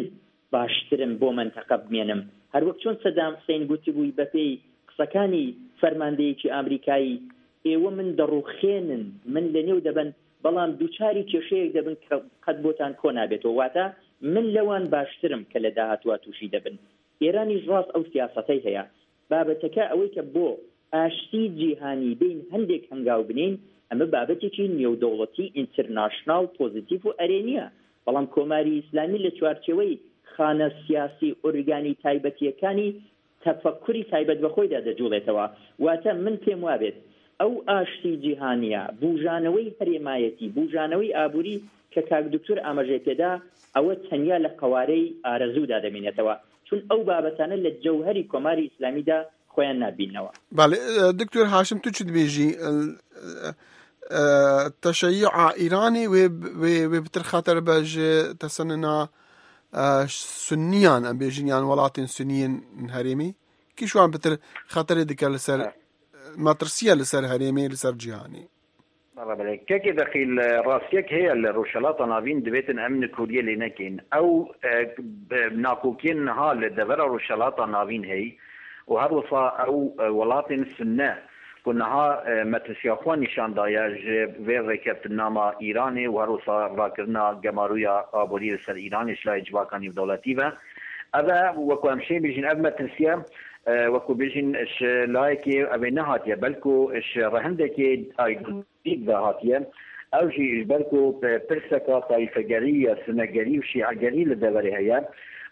باشترم بۆ مەنتەقە بمێنم. هەروەک چۆن سەدام حسین گوتبووی بە پێی قسەکانی فەرماندەیەکی ئامریکایی، ئێوە من دەڕوخێنن، من لە نێو دەبن، بەڵام دووچاری کێشەیەک دەبن کە قەت بۆتان کۆ نابێتەوە. واتە من لەوان باشترم کە لە داهاتوە تووشی دەبن. ئێرانیش ڕاست ئەو سیاسەتەی هەیە. بابەتەکە ئەوەی کە بۆ ئاشتی جیهانی بین هەندێک هەنگاو بنین، ئەمە بابەتێکی نێودەوڵەتی، ئینتەرناشناڵ، پۆزیتیڤ و ئەرێنیە. بەڵام کۆماری ئیسلامی لە چوارچێوەی خانە سیاسی ئۆرگانی تایبەتیەکانی تەفەکوری تایبەت بە خۆیدا دەجوڵێتەوە. واتە من پێم وابێت ئەو ئاشتی جیهانیە، بوژانەوەی هەرێمایەتی، بوژانەوەی ئابووری کە کاک دکتۆر ئاماژەی پێدا، ئەوە تەنیا لە قەوارەی ئارەزوودا دەمینێتەوە، چون ئەو بابەتانە لە جەوهەری کۆماری ئیسلامیدا خۆیان نابینەوە. بەڵێ، ئە، دکتۆر هاشم، تو چ دبێژی؟ ئە، ئە، تەشەیوعا ئیرانی وێ، وێ، وێ بتر خەتەر بە ژێ تەسەننا، ئە، سنیان، ئەم بێژین یان وڵاتین سنیین هەرێمی؟ کیشوان بتر خەتەرێ دکە لەسەر، مەترسیە لەسەر هەرێمی، لەسەر جیهانی؟ بەڵێ، بەڵێ. کەکێ دەقیل ڕاستیەک هەیە لە ڕۆژهەڵاتە ناوین دەبێتن ئەم نکوریە لێ نەکەین. ئەو، ئە، ب-، ناکۆکیە نها لە دەڤەرە ڕۆژهەڵاتە ناوین هەی و هەروەسا ئەو، ئە، وڵاتین سنە کو نها، ئە، مەترسیا خوا نیشان دایە ژێ ڤێ ڕێکەفتنامە ئیرانێ و هەروەسا ڕاکردنا گەمارویا ئابووری لەسەر ئیرانێ شلای جواکانی و دەوڵەتی بە. ئەە وەکو ئەم شێ بێژین ئەو مەترسیە، ئە، وەکو بێژین ش لایەکێ ئەوێ نەهاتیە، بەلکو ش ڕەهندێکێ ئایدۆلۆژیک داهاتیە. ئەو ژی ژ بەلکو پ-، پرسەکە تایفەگەری یا سنەگەری و شیعەگەری لە دەوەرێ هەیە.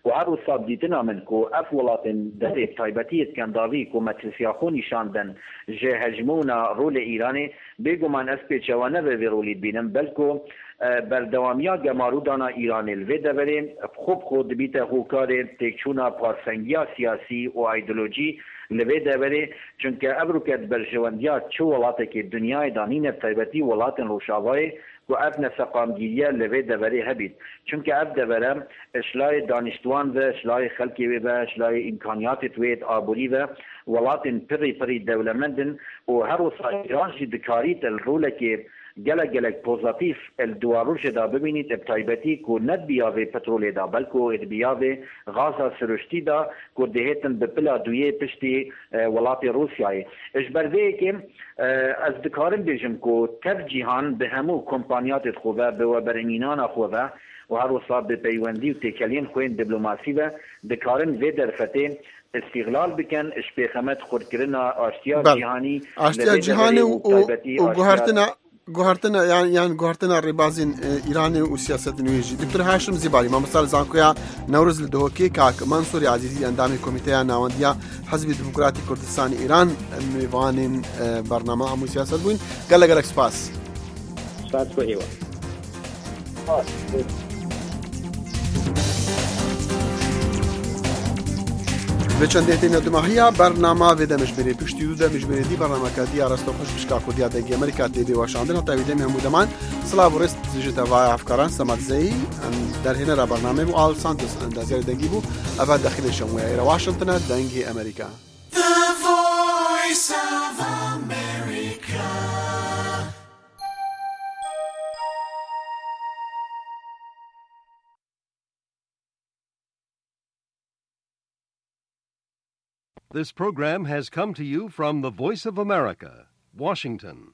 و هەر وسا دیتنا من کو ئەف وڵاتین دەرێ تایبەتی ئسکەنداوی کو مەترسیا خو نیشان دەن ژێ هەژمونا ڕوو لە ئیرانێ، بێگومان ئەس پێچەوانە بە ڤێ ڕولی بینم، بەلکو، ئە، بەردەوامیا گەمارودانا ئیرانێ لە ڤێ دەوەرێ، خۆ بخۆ دبیتە هۆکارێ تێکچوونا پارسەنگیا سیاسی و ئایدۆلۆژی لە ڤێ دەوەرێ، چونکە ئەڤروکە بەرژەوەندیا چ وڵاتێکی دنیای دانینە تایبەتی وڵاتین ڕووشاڤایێ کو ئەف نەسەقامگیریە لە ڤێ دەوەرێ هەبیت. چونکە ئەف دەوەرە شلای دانیشتوان ڤە، شلای خەلکێ وێ ڤە، شلای ئیمکانیاتێت وێت ئابووری ڤە، وڵاتین پڕی پڕی دەولەمەندن و هەر وسا ئیران ژی دکاریت ال ڕولەکێ گەلە گەلەک پۆزەتیف ال دوا ڕوژێدا ببینیت، ب تایبەتی کو نەدبیاڤێ پترولێدا، بەلکو دبیاڤێ غازا سروشتیدا، کو دهێتن بە پلا دویێ پشتی، ئە، وڵاتی ڕووسیایێ. ژ بەر ڤێیەکێ، ئە، ئەس دکارم بێژم کو تەف جیهان بە هەموو کۆمپانیاتێت خۆ ڤە، بە وەبەرهێنینانا خۆ ڤە و هەر وسا بە پەیوەندی و تێکەلین خوێن دیبلۆماسی ڤە، دکارن ڤێ دەرفەتێ ئستیغلال بکەن، ژ پێخەمەت خورتکردنا ئاشتیا بەڵێ. جیهانی ئاشتیا لە ڤێ جیهانی دەوەرێ و، و و تایبەتی و ئاشتیا گوهارتنا، گوهارتنا، یان، یان گوهارتنا ڕێبازین، ئە، ئیرانێ و سیاسەت نوێژی. دکتۆر هاشم زیباری، مامۆستا لە زانکۆیا نەورز لە دهۆکێ، کاک مەنسووری عەزیزی، ئەندامی کۆمیتەیا ناوەندیا حەزبی دیموکراتی کوردستانی ئیران، مێوانین، ئە، بەرنامە هەموو سیاسەت بووین. گەلە گەلەک سپاس. سپاس بۆ ئێوە. بە چەندێتێ نەدماهیا بەرنامە ڤێدە مژمێرێ پشتی دوو دە مژمێرێ دی بەرنامەکە دی ئاراستە خوش بشکا کوردیا دەنگی ئەمریکا تێبێ واشاندن هەتا وێدەمی هەموو دەمان. سڵاو و ڕێست دژێتە ڤایە ئەفکاران سەمادزەی ئەم دەرهێنەرە بەرنامەی بوو ئاڵ سانتۆس ئەندازیاری دەنگی بوو. ئەڤە دەخیلێ شەمویا ئێرە واشنگتنە دەنگی ئەمریکا. The Voice of America. This program has come to you from the Voice of America, Washington.